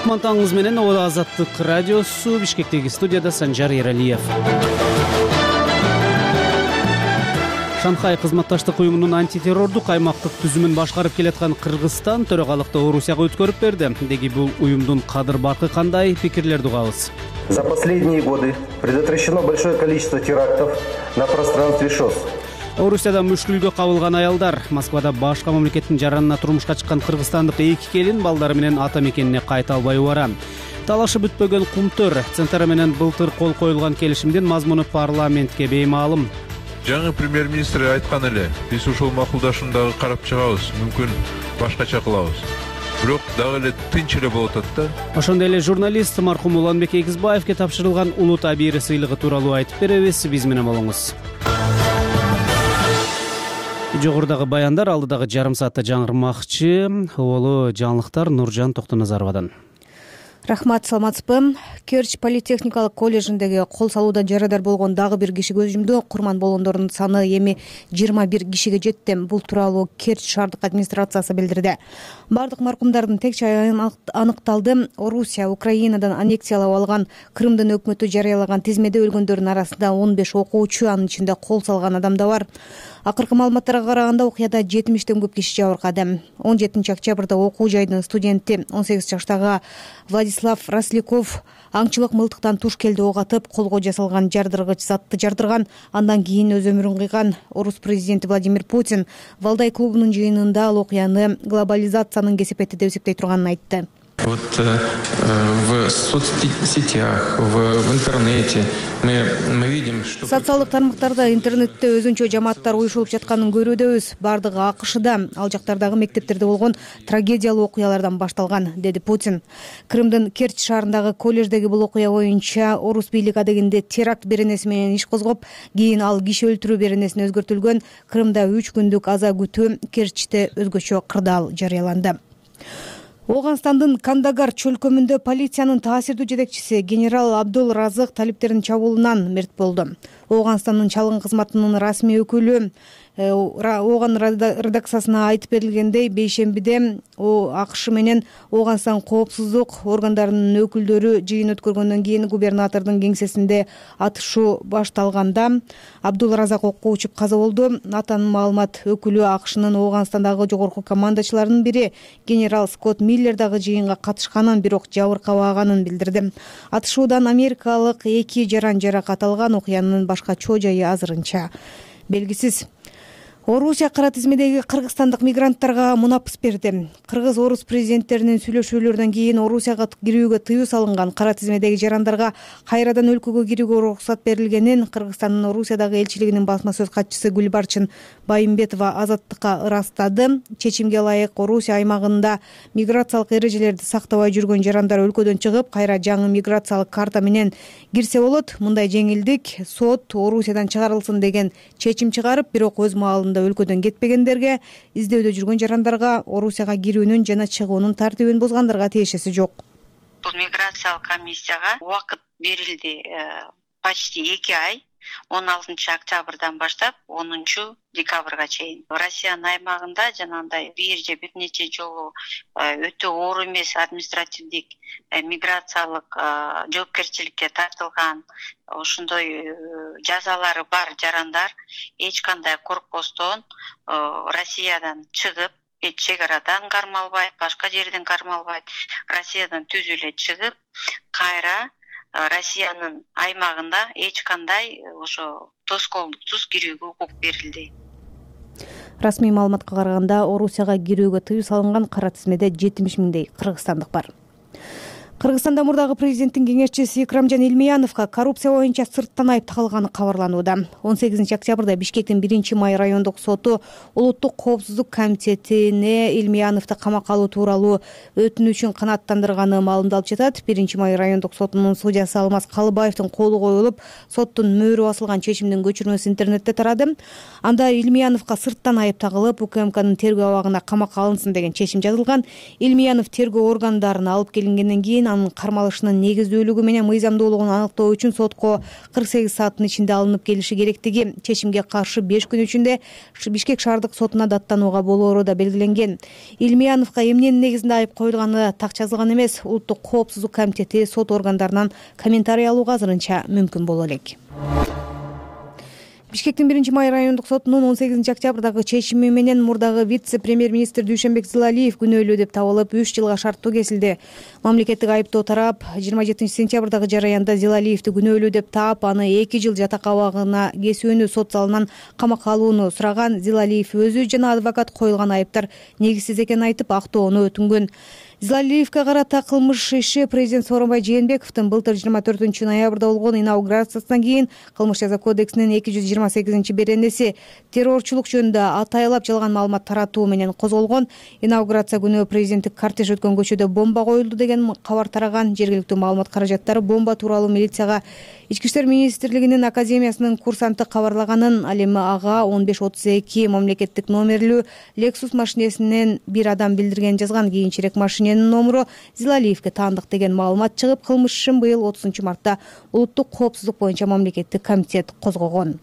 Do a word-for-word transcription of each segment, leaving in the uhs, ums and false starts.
кутман таңыңыз менен. О Азаттык радиосу, Бишкектеги студияда Санжар Эралиев. Шанхай кызматташтык уюмунун антитеррордук аймактык түзүмүн башкарып келаткан Кыргызстан төрагалыкты Орусияга өткөрүп берди. Деги бул уюмдун кадыр баркы кандай, пикирлерди угабыз. За последние годы предотвращено большое количество терактов на пространстве ШОС. Орусияда мүшкүлгө кабылган аялдар. Москвада башка мамлекеттин жаранына турмушка чыккан кыргызстандык эки келин балдары менен ата мекенине кайта албай убара. Талашы бүтпөгөн Кумтөр центры менен былтыр кол коюлган келишимдин мазмуну парламентке беймаалым. Жаңы премьер-министр айткан эле, биз ушул макулдашууну дагы карап чыгабыз, мүмкүн башкача кылабыз. Бирок дагы эле тынч эле болот атат да. Ошондой эле журналист маркум Уланбек Эгизбаевке тапшырылган улут абийири сыйлыгы тууралуу айтып беребиз. Биз менен болуңуз. Жогорудагы баяндар алдыдагы жарым саатта жаңырмакчы. Оболу жаңылыктар Нуржан Токтоназаровадан. Рахмат, саламатсызбы. Керчь политехникалык коллежиндеги кол салуудан жарадар болгон дагы бир киши көз жумду. Курман болгондордун саны эми жыйырма бир кишиге жетти. Бул тууралуу Керчь шаардык администрациясы билдирди. Бардык маркумдардын текчи аныкталды. Орусия Украинадан аннексиялап алган Крымдын өкмөтү жарыялаган тизмеде өлгөндөрдүн арасында он беш окуучу, анын ичинде кол салган адам да бар. Акыркы маалыматтарга караганда окуяда жетимиштен көп киши жабыркады. он жетинчи октябрда окуу жайдын студенти он сегиз жаштагы Владислав Росляков аңчылык мылтыктан туш келди ок атып, колго жасалган жардыргыч затты жардырган. Андан кийин өз өмүрүн кыйган. Орус президенти Владимир Путин Валдай клубунун жыйынында ал окуяны глобализациянын кесепети деп эсептей турганын айтты. Вот э, в соцсетях, в, в интернете мы, мы видим, что... Социалдык тармактарда, интернетте өзүнчө жамааттар уюшулуп жатканын көрүүдөбүз. Бардыгы АКШда, ал жактардагы мектептерде болгон трагедиялуу окуялардан башталган, деди Путин. Крымдын Керчь шаарындагы коллеждеги бул окуя боюнча орус бийлиги адегенде теракт беренеси менен иш козгоп, кийин ал киши өлтүрүү беренесине өзгөртүлгөн. Крымда үч күндүк аза күтүү, Керчьте өзгөчө кырдаал жарыяланды. Оганстандын Кандагар чөлкөмүндө полициянын таасирдүү жетекчиси генерал Абдул Разык талиптердин чабуулунан мерт болду. Оганстандын чалгын кызматынын расмий өкүлү Оган редакциясына айтып берилгендей, бейшембиде АКШ менен Оганстан коопсуздук органдарынын өкүлдөрү жыйын өткөргөндөн кийин губернатордун кеңсесинде атышуу башталганда Абдул Разак окко учуп каза болду. Натанын маалымат өкүлү АКШнын Оганстандагы жогорку командачыларынын бири генерал Скотт Миллер дагы жыйынга катышканын, бирок жабыркабаганын билдирди. Атышуудан америкалык эки жаран жаракат алган. Окуянын башка чоо жайы азырынча белгисиз. Орусия кара тизмедеги кыргызстандык мигранттарга мунапыс берди. Кыргыз-орус президенттеринин сүйлөшүүлөрүнөн кийин Орусияга кирүүгө тыюу салынган кара тизмедеги жарандарга кайрадан өлкөгө кирүүгө уруксат берилгенин Кыргызстандын Орусиядагы элчилигинин басма сөз катчысы Гүлбарчын Байымбетова Азаттыкка ырастады. Чечимге ылайык Орусия аймагында миграциялык эрежелерди сактабай жүргөн жарандар өлкөдөн чыгып, кайра жаңы миграциялык карта менен кирсе болот. Мындай жеңилдик сот Орусиядан чыгарылсын деген чечим чыгарып, бирок өз маалында өлкөдөн кетпегендерге, издөөдө жүргөн жарандарга Орусияга кирүүнүн жана чыгуунун тартибин бузгандарга тиешеси жок. Бул миграциялык комиссияга убакыт берилди почти эки ай. он алтынчы октябрдан баштап онунчу декабрга чейин Россиянын аймагында жанагындай бир же бир нече жолу өтө оор эмес административдик миграциялык жоопкерчиликке тартылган ошондой жазалары бар жарандар эч кандай коркпостон Россиядан чыгып, чек арадан кармалбайт, башка жерден кармалбайт, Россиядан түз эле чыгып, кайра Россиянын аймагында эч кандай ошо тоскоолдуксуз кирүүгө укук берилди. Расмий маалыматка караганда Орусияга кирүүгө тыюу салынган кара тизмеде жетимиш миңдей кыргызстандык бар. Кыргызстанда мурдагы президенттин кеңешчиси Икрамжан Илмияновго коррупция боюнча сырттан айып тагылганы кабарланууда. он сегизинчи октябрда Бишкектин биринчи май райондук соту Улуттук коопсуздук комитетине Илмияновду камакка алуу тууралуу өтүнүчүн канааттандырганы маалымдалып жатат. биринчи май райондук сотунун судьясы Алмаз Калыбаевдин колу коюлуп, соттун мөөрү басылган чечимдин көчүрмөсү интернетте тарады. Анда Илмияновго сырттан айып тагылып, УКМКнын тергөө абагына камакка алынсын деген чечим жазылган. Илмиянов тергөө органдарына алып келингенден кийин берилген. Анын кармалышынын негиздүүлүгү менен мыйзамдуулугун аныктоо үчүн сотко кырк сегиз сааттын ичинде алынып келиши керектиги, чечимге каршы беш күн ичинде Бишкек шаардык сотуна даттанууга болоору да белгиленген. Илмияновго эмненин негизинде айып коюлганы так жазылган эмес. Улуттук коопсуздук комитети сот органдарынан комментарий алууга азырынча мүмкүн боло элек. Бишкектин биринчи май райондук сотунун он сегизинчи октябрдагы чечими менен мурдагы вице-премьер-министр Дүйшөнбек Зилалиев күнөөлүү деп табылып, үч жылга шарттуу кесилди. Мамлекеттик айыптоо тарап жыйырма жетинчи сентябрдагы жараянда Зилалиевди күнөөлүү деп таап, аны эки жыл жатак абагына кесүүнү, сот залынан камакка алууну сураган. Зилалиев өзү жана адвокат коюлган айыптар негизсиз экенин айтып, актоону өтүнгөн. Зилалиевге карата кылмыш иши президент Сооронбай Жээнбековдун былтыр жыйырма төртүнчү ноябрда болгон инаугурациясынан кийин Кылмыш жаза кодексинин эки жүз жыйырма сегизинчи беренеси террорчулук жөнүндө атайлап жалган маалымат таратуу менен козголгон. Инаугурация күнү президенттик кортеж өткөн көчөдө бомба коюлду деген кабар тараган. Жергиликтүү маалымат каражаттары бомба тууралуу милицияга Ички иштер министрлигинин академиясынын курсанты кабарлаганын, ал эми ага он беш отуз эки мамлекеттик номерлүү Lexus машинесинен бир адам билдирген жазган. Кийинчерээк машиненин номуру Зилалиевге таандык деген маалымат чыгып, кылмыш ишин быйыл отузунчу мартта улуттук коопсуздук боюнча мамлекеттик комитет козгогон.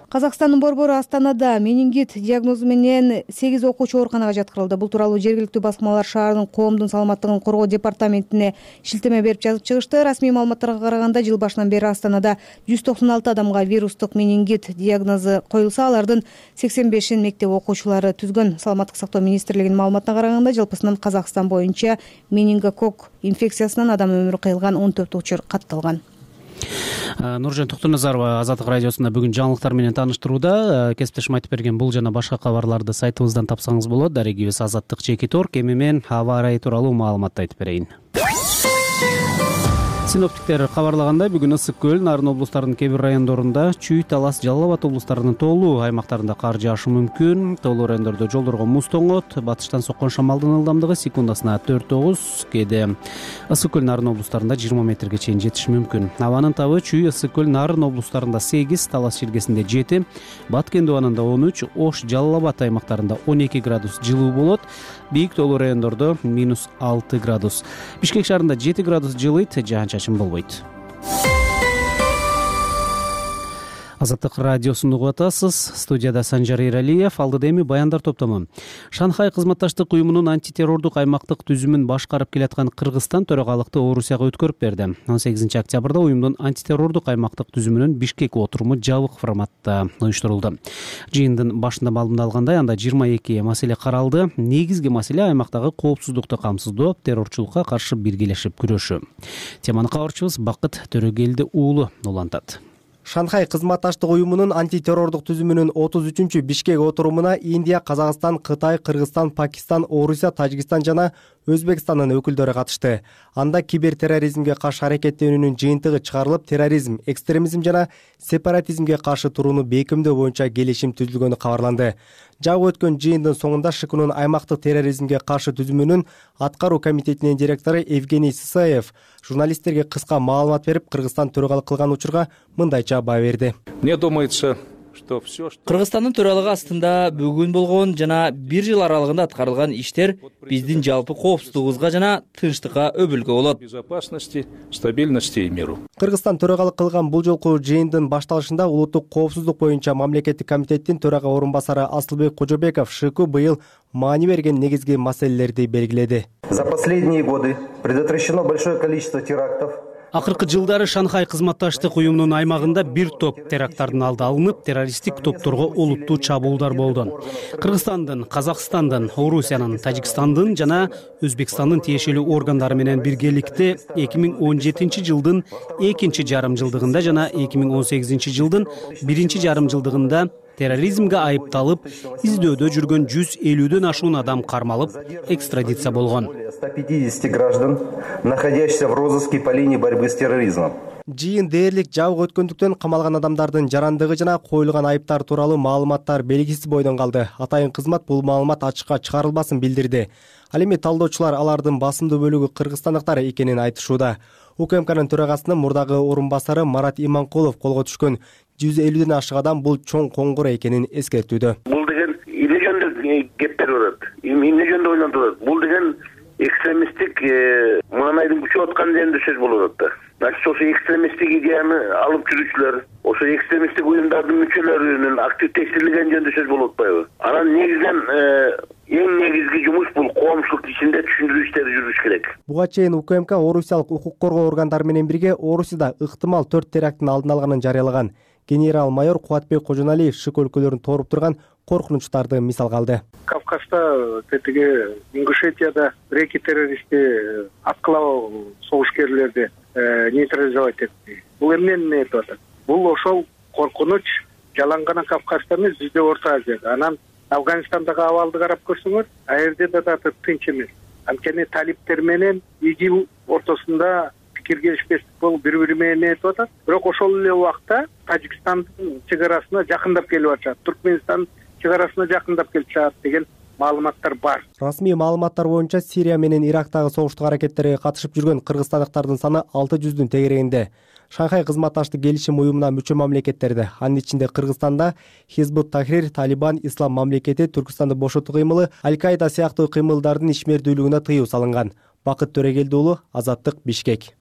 Казакстандын борбору Астанада менингит диагнозу менен сегиз окуучу ооруканага жаткырылды. Бул тууралуу жергиликтүү басмалар шаардын коомдун саламаттыгын коргоо департаментине шилтеме берип жазып чыгышты. Расмий маалыматтарга караганда, жыл башынан бери Астанада жүз токсон алты адамга вирустук менингит диагнозу коюлса, алардын сексен бешин мектеп окуучулары түзгөн. Саламаттык сактоо министрлигинин маалыматына караганда, жалпысынан Казакстан боюнча менингококк инфекциясынан адам өмүрү кыйылган он төрт учур катталган. Нуржан Токтоназарова Азаттык радиосунда бүгүн жаңылыктар менен тааныштырууда. Кесиптешим айтып берген бул жана башка кабарларды сайтыбыздан тапсаңыз болот. Дарегибиз азаттык чекит точка орг. Эми мен аба ырайы тууралуу маалыматты айтып берейин. Синоптиктер кабарлагандай, бүгүн Ысык көл, Нарын облустарынын кээ бир райондорунда, Чүй, Талас, Жалал Абад облустарынын тоолуу аймактарында кар жаашы мүмкүн. Тоолуу райондордо жолдорго муз тоңот. Батыштан соккон шамалдын ылдамдыгы секундасына төрт тогуз, кээде Ысык көл, Нарын облустарында жыйырма метрге чейин жетиши мүмкүн. Абанын табы Чүй, Ысык көл, Нарын облустарында сегиз, Талас шилгесинде жети, Баткен абанында он үч, Ош, Жалал Абад аймактарында он эки градус жылуу болот. Бийик тоолуу райондордо минус алты градус. Бишкек шаарында жети градус жылыйт, жаан-чачын болбойт. Азаттык радиосун угуп атасыз. Студияда Санжар Эралиев, алдыда эми баяндар топтому. Шанхай кызматташтык уюмунун антитеррордук аймактык түзүмүн башкарып келаткан Кыргызстан төрагалыкты Орусияга өткөрүп берди. он сегизинчи октябрда уюмдун антитеррордук аймактык түзүмүнүн Бишкек отуруму жабык форматта уюштурулду. Жыйындын башында маалымдалгандай, анда жыйырма эки маселе каралды. Негизги маселе аймактагы коопсуздукту камсыздоо, террорчулукка каршы биргелешип күрөшүү. Теманы кабарчыбыз Бакыт Төрөгелди уулу улантат. Шанхай кызматташтык уюмунун антитеррордук түзүмүнүн отуз үчүнчү Бишкек отурумуна Индия, Казакстан, Кытай, Кыргызстан, Пакистан, Орусия, Тажикстан жана Өзбекстандын өкүлдөрү катышты. Анда кибертерроризмге каршы аракеттенүүнүн жыйынтыгы чыгарылып, терроризм, экстремизм жана сепаратизмге каршы турууну бекемдөө боюнча келишим түзүлгөнү кабарланды. Жабы өткөн жыйындын соңунда ШКнун аймактык терроризмге каршы түзүмүнүн аткаруу комитетинин директору Евгений Сысаев журналисттерге кыска маалымат берип, Кыргызстан төрагалык кылган учурга мындайча баа берди. Мне думается, Кыргызстандын төралыгы астында бүгүн болгон жана бир жыл аралыгында аткарылган иштер биздин жалпы коопсуздугубузга жана тынчтыкка өбүлгө болот. Безопасности, стабильности и миру. Кыргызстан төрагалык кылган бул жолку жыйындын башталышында улуттук коопсуздук боюнча мамлекеттик комитеттин төрага орун басары Асылбек Кожобеков ШК быйыл маани берген негизги маселелерди белгиледи. За последние годы предотвращено большое количество терактов. Акыркы жылдары Шанхай кызматташтык уюмунун аймагында бир топ теракттардын алды алынып, террористтик топторго олуттуу чабуулдар болду. Кыргызстандын, Казакстандын, Орусиянын, Тажикстандын жана Өзбекстандын тиешелүү органдары менен биргеликте эки миң он жетинчи жылдын экинчи жарым жылдыгында жана эки миң он сегизинчи жылдын биринчи жарым жылдыгында терроризмге айыпталып, издөөдө жүргөн жүз элүүдөн ашуун адам кармалып, экстрадиция болгон. сто пятьдесят граждан, находящихся в розыске по линии борьбы с терроризмом. Жыйын дээрлик жабык өткөндүктөн камалган адамдардын жарандыгы жана коюлган айыптар тууралуу маалыматтар белгисиз бойдон калды. Атайын кызмат бул маалымат ачыкка чыгарылбасын билдирди. Ал эми талдоочулар алардын басымдуу бөлүгү кыргызстандыктар экенин айтышууда. УКМКнын төрагасынын мурдагы орун басары Марат Иманкулов колго түшкөн жүз элүүдөн ашык адам бул чоң коңгура экенин эскертүүдө. Бул деген эмне жөнүндө кептер болот, эмне жөнүндө ойлонтулат. Бул деген экстремисттик маанайдын күчөп аткан жеринде сөз болуп атат да. Значит, ошо экстремисттик идеяны алып жүрүүчүлөр, ошо экстремисттик уюмдардын мүчөлөрүнүн активдештирилген жөнүндө сөз болуп атпайбы? Анан негизинен эң негизги жумуш бул коомчулук ичинде түшүндүрүү иштери жүрүш керек. Буга чейин УКМК орусиялык укук коргоо органдары менен бирге Орусияда ыктымал төрт теракттын алдын алганын жарыялаган. Генерал-майор Кубатбек Кожоналиев ШИК өлкөлөрүн тооруп турган коркунучтарды мисалга алды. Кавказда, тетиги Ингушетияда бир-эки террористти аткылап согушкерлерди нейтрализовать этти. Бул эмнени этип атат? Бул ошол коркунуч жалаң гана Кавказда эмес, бизде Орто Азияда. Анан Афганистандагы абалды карап көрсөңөр, ал жерде да тынч эмес. Анткени талиптер менен ИГИЛ ортосунда пикир келишпестик болуп бири-бири менен этип атат. Бирок ошол эле убакта Тажикстандын чек арасына жакындап келип атышат, Түркмөнстандын чек арасына жакындап келип атышат деген маалыматтар бар. Расмий маалыматтар боюнча Сирия менен Ирактагы согуштук аракеттерге катышып жүргөн кыргызстандыктардын саны алты жүздүн тегерегинде. Шанхай кызматташтык келишим уюмуна мүчө мамлекеттерде, анын ичинде Кыргызстанда Хизбут Тахрир, Талибан, Ислам мамлекети, Түркстанды бошотуу кыймылы, Аль-Каида сыяктуу кыймылдардын ишмердүүлүгүнө тыюу салынган. Бакыт Төрегелди уулу, Азаттык, Бишкек.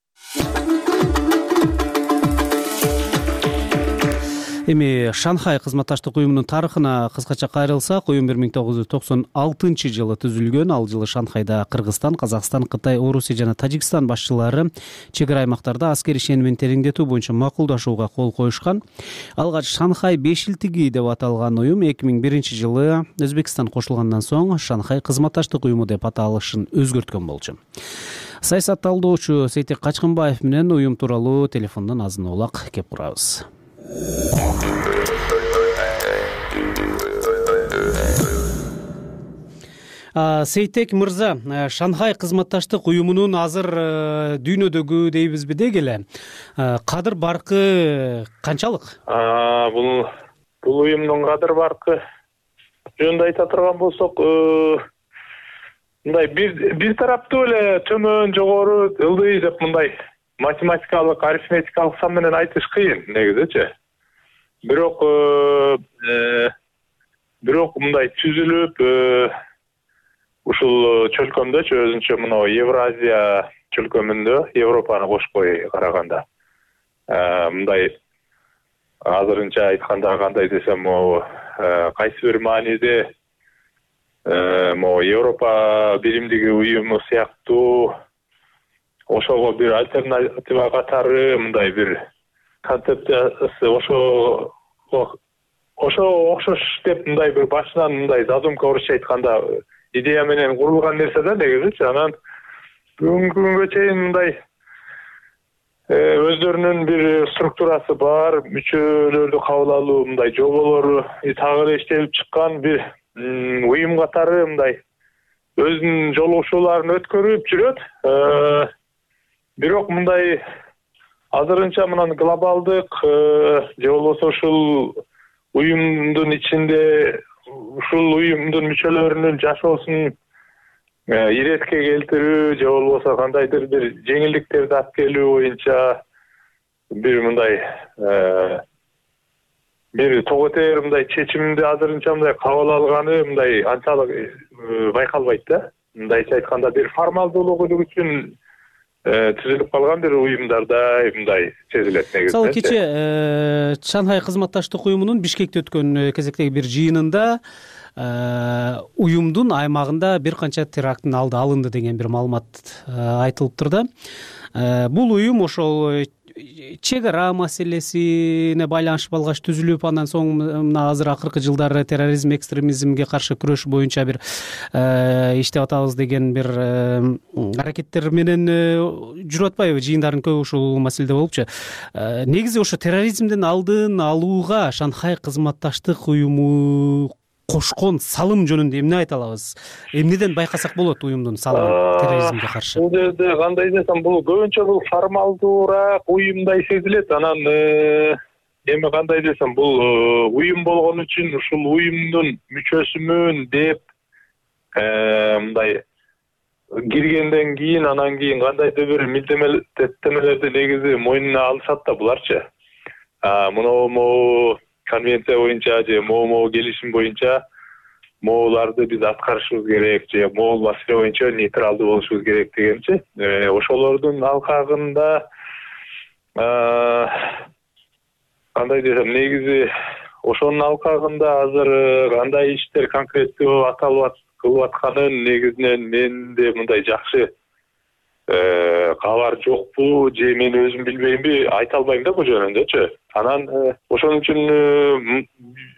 Эми Шанхай кызматташтык уюмунун тарыхына кыскача кайрылсак, уюм бир миң тогуз жүз токсон алтынчы жылы түзүлгөн. Ал жылы Шанхайда Кыргызстан, Казакстан, Кытай, Орусия жана Тажикстан башчылары чек ара аймактарда аскерий ишенимин тереңдетүү боюнча макулдашууга кол коюшкан. Алгач Шанхай бешилтиги деп аталган уюм эки миң биринчи жылы Өзбекстан кошулгандан соң Шанхай кызматташтык уюму деп аталышын өзгөрткөн болчу. Саясат талдоочу Сейтек Качкынбаев менен уюм тууралуу телефондон азын улак кеп турабыз. Сейтек мырза, Шанхай кызматташтык уюмунун азыр дүйнөдөгү дейбизби деги эле кадыр баркы канчалык? Бул бул уюмдун кадыр баркы жөнүндө айта турган болсок, мындай бир бир тараптуу эле төмөн, жогору, ылдый деп мындай математикалык, арифметикалык сан менен айтыш кыйын негизичи. Бирок бирок мындай түзүлүп ушул чөлкөмдөчү өзүнчө мына Евразия чөлкөмүндө Европаны кошпой караганда мындай азырынча айтканда кандай десем, могу кайсы бир мааниде могу Европа биримдиги уюму сыяктуу ошого бир альтернатива катары мындай бир концепциясы ошо ошо окшош деп мындай бир башынан мындай задумка орусча айтканда идея менен курулган нерсе да негизичи. Анан бүгүнкү күнгө чейин мындай өздөрүнүн бир структурасы бар, мүчөлөрдү кабыл алуу мындай жоболору так эле иштелип чыккан бир уюм катары мындай өзүнүн жолугушууларын өткөрүп жүрөт. Бирок мындай азырынча мынан глобалдык же болбосо ушул уюмдун ичинде ушул уюмдун мүчөлөрүнүн жашоосун иретке келтирүү же болбосо кандайдыр бир жеңилдиктерди алып келүү боюнча бир мындай бир тоготер мындай чечимди азырынча мындай кабыл алганы мындай анчалык байкалбайт да. Мындайча айтканда бир формалдуулук үчүн түзүлүп калган бир уюмдардай мындай сезилет негизинен. Мисалы кече Шанхай кызматташтык уюмунун Бишкекте өткөн кезектеги бир жыйынында уюмдун аймагында бир канча теракттын алды алынды деген бир маалымат айтылыптыр да. Бул уюм ошол чек ара маселесине байланышып алгач түзүлүп, андан соң мына азыр акыркы жылдары терроризм, экстремизмге каршы күрөш боюнча бир иштеп атабыз деген бир аракеттер менен жүрүп атпайбы? Жыйындардын көбү ушул маселеде болупчу. Негизи ошо терроризмдин алдын алууга Шанхай кызматташтык уюму кошкон салым жөнүндө эмне айта алабыз? Эмнеден байкасак болот уюмдун салымы терроризмге каршы? Бул жерде кандай десем, бул көбүнчө бул формалдуураак уюмдай сезилет. Анан эми кандай десем, бул уюм болгон үчүн ушул уюмдун мүчөсүмүн деп мындай киргенден кийин анан кийин кандайдыр бир милдеттемелерди негизи мойнуна алышат да буларчы. Мына конвенция боюнча же могу-могу келишим боюнча могуларды биз аткарышыбыз керек же могул маселе боюнча нейтралдуу болушубуз керек дегенчи. Ошолордун алкагында кандай десем, негизи ошонун алкагында азыр кандай иштер конкреттүү аталып кылып атканын негизинен менде мындай жакшы кабар жокпу же мен өзүм билбеймби айта албайм да бул жөнүндөчү. Анан ошон үчүн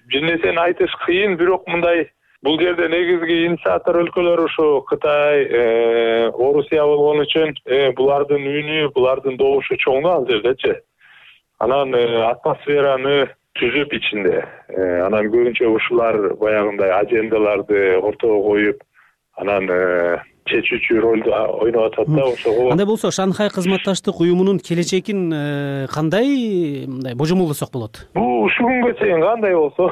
бир нерсени айтыш кыйын, бирок мындай бул жерде негизги инициатор өлкөлөр ушу Кытай, Орусия болгон үчүн булардын үнү, булардын добушу чоң ал жердечи. Анан атмосфераны түзүп ичинде, анан көбүнчө ушулар баягындай ажендаларды ортого коюп, анан чечүүчү ролду ойноп атат да ошого. Андай болсо Шанхай кызматташтык уюмунун келечегин кандай мындай божомолдосок болот? Бул ушул күнгө чейин кандай болсо,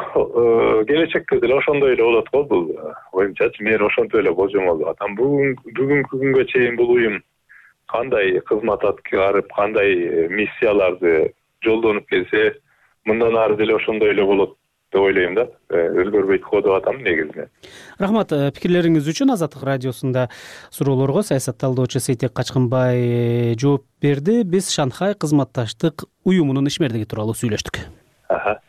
келечекте деле ошондой эле болот го бул. Оюмчачы мен ошентип эле божомолдоп атам. Бүгүнкү күнгө чейин бул уюм кандай кызмат аткарып, кандай миссияларды жолдонуп келсе, мындан ары деле ошондой эле болот деп ойлойм да. Өзгөрбөйт го деп атам негизинен. Рахмат пикирлериңиз үчүн. Азаттык радиосунда суроолорго саясат талдоочу Сейтек Качкынбай жооп берди. Биз Шанхай кызматташтык уюмунун ишмердиги тууралуу сүйлөштүк. Аха.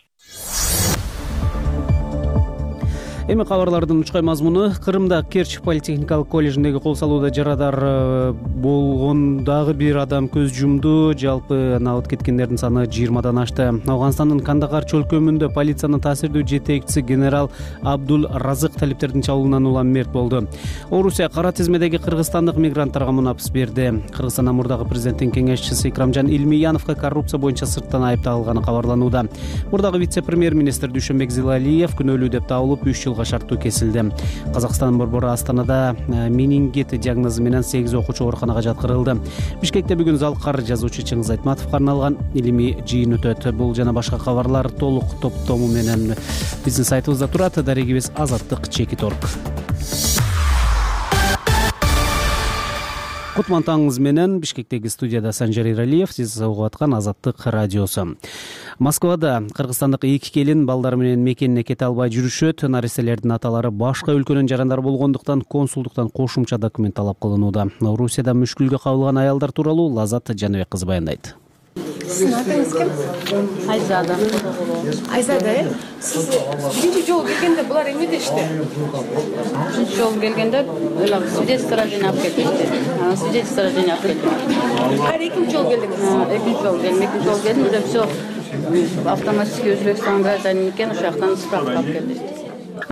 Эми кабарлардын учкай мазмуну. Кырымда Керчь политехникалык коллежиндеги кол салууда жарадар болгон дагы бир адам көз жумду. Жалпы алып кеткендердин саны жыйырмадан ашты. Афганстандын Кандагар чөлкөмүндө полициянын таасирдүү жетекчиси генерал Абдул Разык талиптердин чабуулунан улам мерт болду. Орусия кара тизмедеги кыргызстандык мигранттарга мунапыс берди. Кыргызстан мурдагы президенттин кеңешчиси Икрамжан Илмияновго коррупция боюнча сырттан айыпталганы кабарланууда. Мурдагы вице-премьер-министр Дүйшөнбек Зилалиев күнөөлүү деп табылып үч жыл шарттуу кесилди. Казакстан борбору Астанада менингит диагнозу менен сегиз окуучу ооруканага жаткырылды. Бишкекте бүгүн Залкар жазуучу Чыңгыз Айтматовго арналган илимий жыйын өтөт. Бул жана башка кабарлар толук топтому менен биздин сайтыбызда турат. Дарегибиз азаттык чекит точка орг. Кутман таңыңыз менен Бишкектеги студияда Санжар Иралиев, сиз угуп аткан Азаттык радиосу. Москвада кыргызстандык эки келин балдары менен мекенине кете албай жүрүшөт. Нариселердин аталары башка өлкөнүн жарандары болгондуктан консулдуктан кошумча документ талап кылынууда. Орусияда мүшкүлгө кабылган аялдар тууралуу Лазат Жаныбек кызы баяндайт. Сиздин атыңыз ким? Айзада. Айзада, э? Сиз биринчи жолу келгенде булар эмне дешти? Биринчи жолу келгенде эле свидетельство рождения алып келишти. Анан свидетельство рождения алып келдим. Кайра экинчи жолу келдиңиз? Экинчи жолу келдим. Экинчи жолу келдим, уже все автоматически Өзбекстан гражданин экен, ошол жактан справка алып келди.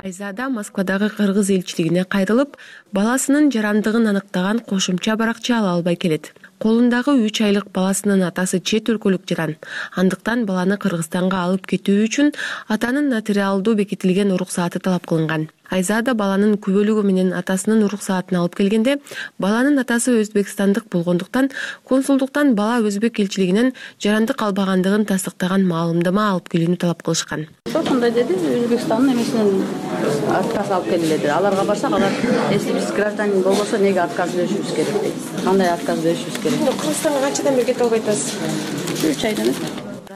Айзада Москвадагы кыргыз элчилигине кайрылып, баласынын жарандыгын аныктаган кошумча баракча ала албай келет. Колундагы үч айлык баласынын атасы чет өлкөлүк жаран. Андыктан баланы Кыргызстанга алып кетүү үчүн атанын нотариалдуу бекитилген уруксааты талап кылынган. Айзада баланын күбөлүгү менен атасынын уруксаатын алып келгенде, баланын атасы өзбекстандык болгондуктан консулдуктан бала өзбек элчилигинен жарандык албагандыгын тастыктаган маалымдама алып келүүнү талап кылышкан. Ошондой деди, Өзбекстандын эмесинен отказ алып келди деди. Аларга барсак, алар если биз гражданин болбосо неге отказ беришибиз керек дейт. Кандай отказ беришибиз керек? Кыргызстанга канчадан бери кетип албай атасыз? үч айдан.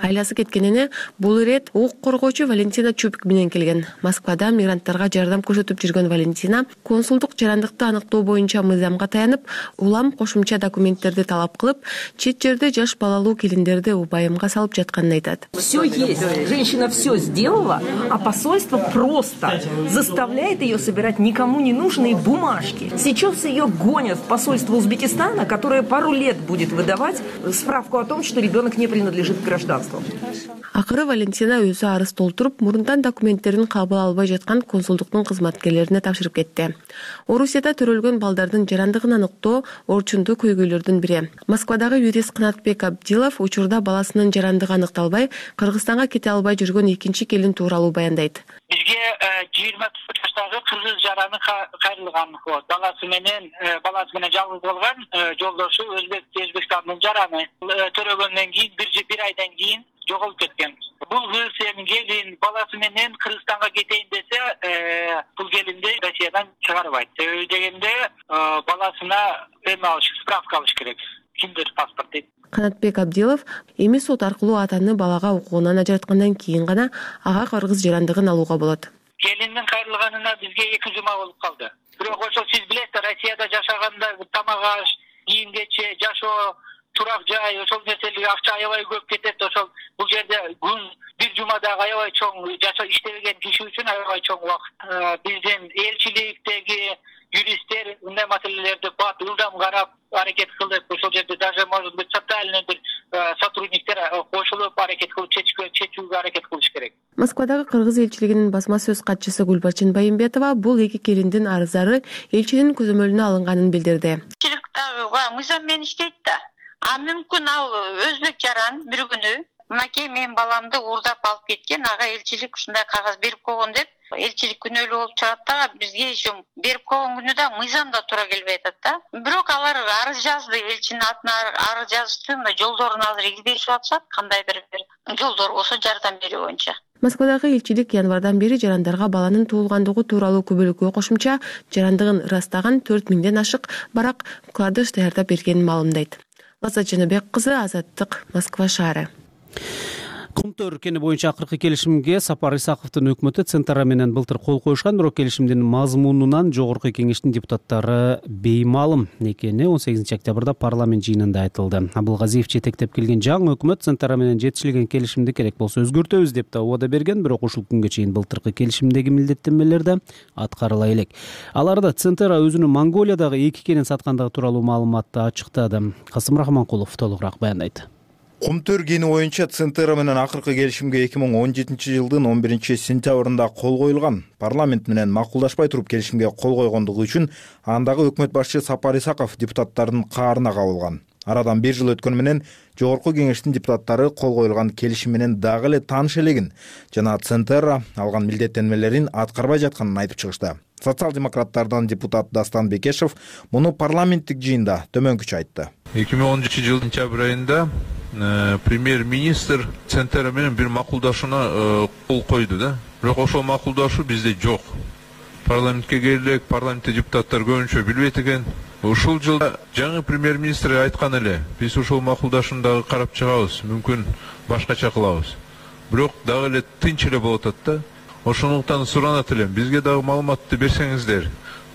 Айласы кеткенине бул ирет укук коргоочу Валентина Чупик менен келген. Москвада мигранттарга жардам көрсөтүп жүргөн Валентина консулдук жарандыкты аныктоо боюнча мыйзамга таянып, улам кошумча документтерди талап кылып, чет жерде жаш балалуу келиндерди убайымга салып жатканын айтат. Все есть. Женщина все сделала, а посольство просто заставляет ее собирать никому не нужные бумажки. Сейчас ее гонят в посольство Узбекистана, которое пару лет будет выдавать справку о том, что ребенок не принадлежит к гражданству. Акыры Валентина өзү арыз толтуруп, мурунтан документтерин кабыл албай жаткан консулдуктун кызматкерлерине тапшырып кетти. Орусияда төрөлгөн балдардын жарандыгын аныктоо орчундуу көйгөйлөрдүн бири. Москвадагы юрист Канатбек Абдилов учурда баласынын жарандыгы аныкталбай, Кыргызстанга кете албай жүргөн экинчи келин тууралуу баяндайт. Бизге жыйырма төрт жаштагы кыргыз жараны кайрылган. Баласы менен баласы менен жалгыз болгон жолдошу Өзбек Өзбекстандын жараны. Төрөгөндөн кийин бир айдан кийин жоголуп кеткен. Бул кыз эми келин баласы менен Кыргызстанга кетейин десе, бул келинди Россиядан чыгарбайт. Себеби дегенде баласына эме алыш, справка алыш керек. Киндер паспорт дейт. Канатбек Абдилов эми сот аркылуу атаны балага укугунан ажыраткандан кийин гана ага кыргыз жарандыгын алууга болот. келиндин кайрылганына бизге эки жума болуп калды. Бирок ошол сиз билесиз, Россияда жашаганда тамак аш, кийим кече, жашоо, турак жай, ошол нерселерге акча аябай көп кетет. Ошол бул жерде күн бир жумадагы аябай чоң жашоо иштебеген киши үчүн аябай чоң убакыт. Биздин элчиликтеги юристтер мындай маселелерди бат ылдам карап аракет кылып, ошол жерде даже может быть социальный бир сотрудниктер кошулуп аракет кылып чечүүгө аракет кылыш керек. Москвадагы кыргыз элчилигинин басма сөз катчысы Гүлбарчын Байымбетова бул эки келиндин арыздары элчинин көзөмөлүнө алынганын билдирди. Элчилик дагы мыйзам менен иштейт да. А мүмкүн ал өзбек жаран бир күнү мынакей менин баламды уурдап алып кеткен, ага элчилик ушундай кагаз берип койгон деп элчилик күнөөлүү болуп чыгат да, бизге еще берип койгон күнү да мыйзамда туура келбей атат да. Бирок алар арыз жазды, элчинин атына арыз жазыштын жолдорун азыр издешип атышат, кандайдыр бир жолдор болсо жардам берүү боюнча. Москвадагы элчилик январдан бери жарандарга баланын туулгандыгы тууралуу күбөлүккө кошумча жарандыгын ырастаган төрт миңден ашык барак кладыш даярдап бергенин маалымдайт. Лаззат Жаныбек кызы, Азаттык, Москва шаары. Кумтөр өлкөнү боюнча акыркы келишимге Сапар Исаковдун өкмөтү Центара менен былтыр кол коюшкан, бирок келишимдин мазмунунан жогорку кеңештин депутаттары беймаалым экени он сегизинчи октябрда парламент жыйынында айтылды. Абылгазиев жетектеп келген жаңы өкмөт Центара менен жетишилген келишимди керек болсо өзгөртөбүз деп да убада берген, бирок ушул күнгө чейин былтыркы келишимдеги милдеттенмелерди аткарыла элек. Аларда Центара өзүнүн Монголиядагы эки кенин саткандыгы тууралуу маалыматты ачыктады. Касым Рахманкулов толугураак баяндайт. Кумтөр кени боюнча Центара менен акыркы келишимге эки миң он жетинчи жылдын он биринчи сентябрында кол коюлган. Парламент менен макулдашпай туруп келишимге кол койгондугу үчүн андагы өкмөт башчы Сапар Исаков депутаттардын каарына кабылган. Арадан бир жыл өткөнү менен жогорку кеңештин депутаттары кол коюлган келишим менен дагы эле тааныш элегин жана Центара алган милдеттенмелерин аткарбай жатканын айтып чыгышты. Социал-демократтардан депутат Дастан Бекешев муну парламенттик жыйында төмөнкүчө айтты. эки миң он жетинчи жылдын сентябрь айында премьер-министр Центара менен бир макулдашууна кол койду да. Бирок ошол макулдашуу бизде жок. Парламентке келек, парламентте депутаттар көбүнчө билбейт экен. Ушул жылда жаңы премьер-министр айткан эле, биз ушул макулдашууну дагы карап чыгабыз, мүмкүн башкача кылабыз. Бирок дагы эле тынч эле болуп атат да. Ошондуктан суранат элем, бизге дагы маалыматты берсеңиздер.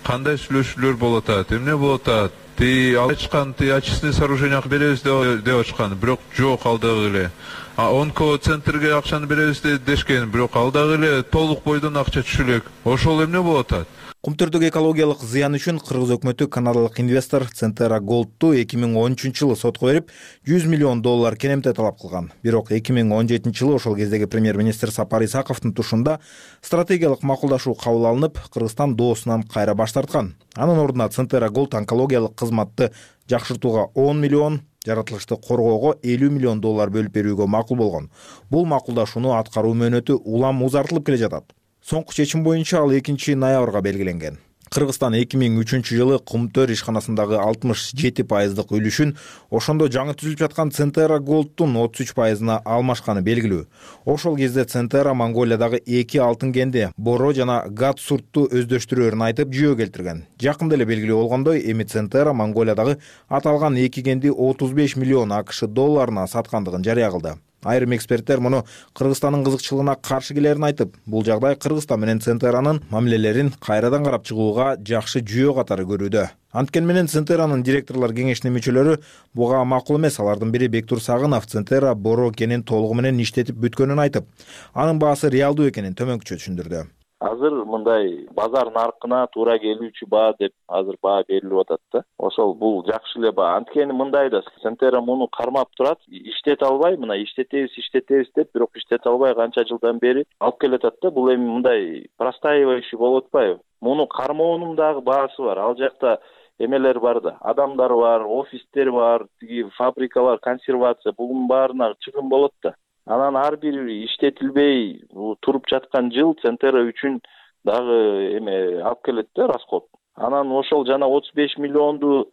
Кандай сүйлөшүүлөр болуп атат, эмне болуп атат? Ти ачкан, ти очистные сооружения беребиз деп ачкан, бирок жок ал дагы эле. А онко центрге акчаны беребиз дешкен, бирок ал дагы эле толук бойдон акча түшө элек. Ошол эмне болуп атат? Кумтөрдөгү экологиялык зыян үчүн кыргыз өкмөтү канадалык инвестор Центара Голдту эки миң он үчүнчү жылы сотко берип, жүз миллион доллар кенемте талап кылган. Бирок эки миң он жетинчи жылы ошол кездеги премьер-министр Сапар Исаковдун тушунда стратегиялык макулдашуу кабыл алынып, Кыргызстан доосунан кайра баш тарткан. Анын ордуна Центара Голд онкологиялык кызматты жакшыртууга он миллион, жаратылышты коргоого элүү миллион доллар бөлүп берүүгө макул болгон. Бул макулдашууну аткаруу мөөнөтү улам узартылып келе жатат. Соңку чечим боюнча ал экинчи ноябрга белгиленген. Кыргызстан эки миң үчүнчү жылы Кумтөр ишканасындагы алтымыш жети пайыздык үлүшүн ошондо жаңы түзүлүп жаткан Центара Голдтун отуз үч пайызына алмашканы белгилүү. Ошол кезде Центара Монголиядагы эки алтын кенди Боро жана Гатсуртту өздөштүрөөрүн айтып жүйө келтирген. Жакында эле белгилүү болгондой, эми Центара Монголиядагы аталган эки кенди отуз беш миллион АКШ долларына саткандыгын жарыя кылды. Айрым эксперттер муну Кыргызстандын кызыкчылыгына каршы келерин айтып, бул жагдай Кыргызстан менен Центаранын мамилелерин кайрадан карап чыгууга жакшы жүйө катары көрүүдө. Анткени менен Центаранын директорлор кеңешинин мүчөлөрү буга макул эмес. Алардын бири Бектур Сагынов Центара Боро кенин толугу менен иштетип бүткөнүн айтып, анын баасы реалдуу экенин төмөнкүчө түшүндүрдү. Азыр мындай базар наркына туура келүүчү баа деп азыр баа берилип атат да. Ошол бул жакшы эле баа. Анткени мындай да, Центара муну кармап турат, иштете албай, мына иштетебиз, иштетебиз деп, бирок иштете албай канча жылдан бери алып келатат да. Бул эми мындай простаивающий болуп атпайбы? Муну кармоонун дагы баасы бар. Ал жакта эмелер бар да, адамдар бар, офистер бар, тиги фабрикалар, консервация, бунун баарына чыгым болот да. Анан ар бир иштетилбей туруп жаткан жыл Центара үчүн дагы эме алып келет да, расход. Анан ошол жана отуз беш миллионду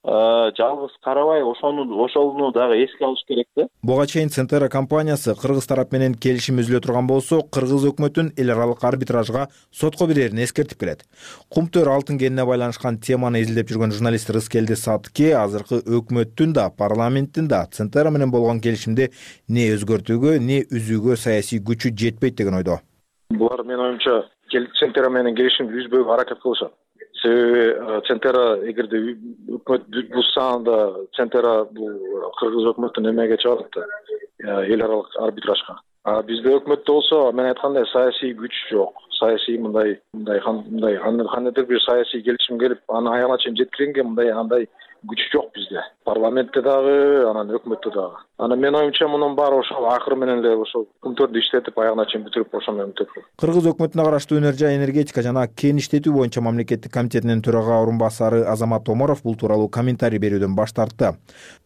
жалгыз карабай, ошону ошону дагы эске алыш керек да. Буга чейин Центара компаниясы кыргыз тарап менен келишим үзүлө турган болсо, кыргыз өкмөтүн эл аралык арбитражга сотко берерин эскертип келет. Кумтөр алтын кенине байланышкан теманы изилдеп жүргөн журналист Рыскелди Сатке азыркы өкмөттүн да, парламенттин да Центара менен болгон келишимди не өзгөртүүгө, не үзүүгө саясий күчү жетпейт деген ойдо. Булар менин оюмча Центера менен келишимди үзбөөгө аракет кылышат. Себеби Центера эгерде өкмөт бузса, анда Центера бул кыргыз өкмөтүн эмеге чыгарат да, эл аралык арбитражга. А бизде өкмөттө болсо, мен айткандай саясий күч жок. Саясий мындай мындай мындай кандайдыр бир саясий келишим келип, аны аягына чейин жеткиренге мындай андай күч жок бизде. Парламентте дагы, анан өкмөттө дагы. Аны мен оюмча мунун баары ошол акыры менен эле ошол күмтөрдү иштетип аягына чейин бүтүрүп ошо менен бүтөт. Кыргыз өкмөтүнө караштуу өнөр жай энергетика жана кен иштетүү боюнча мамлекеттик комитетинин төрага орун басары Азамат Омаров бул тууралуу комментарий берүүдөн баш тартты.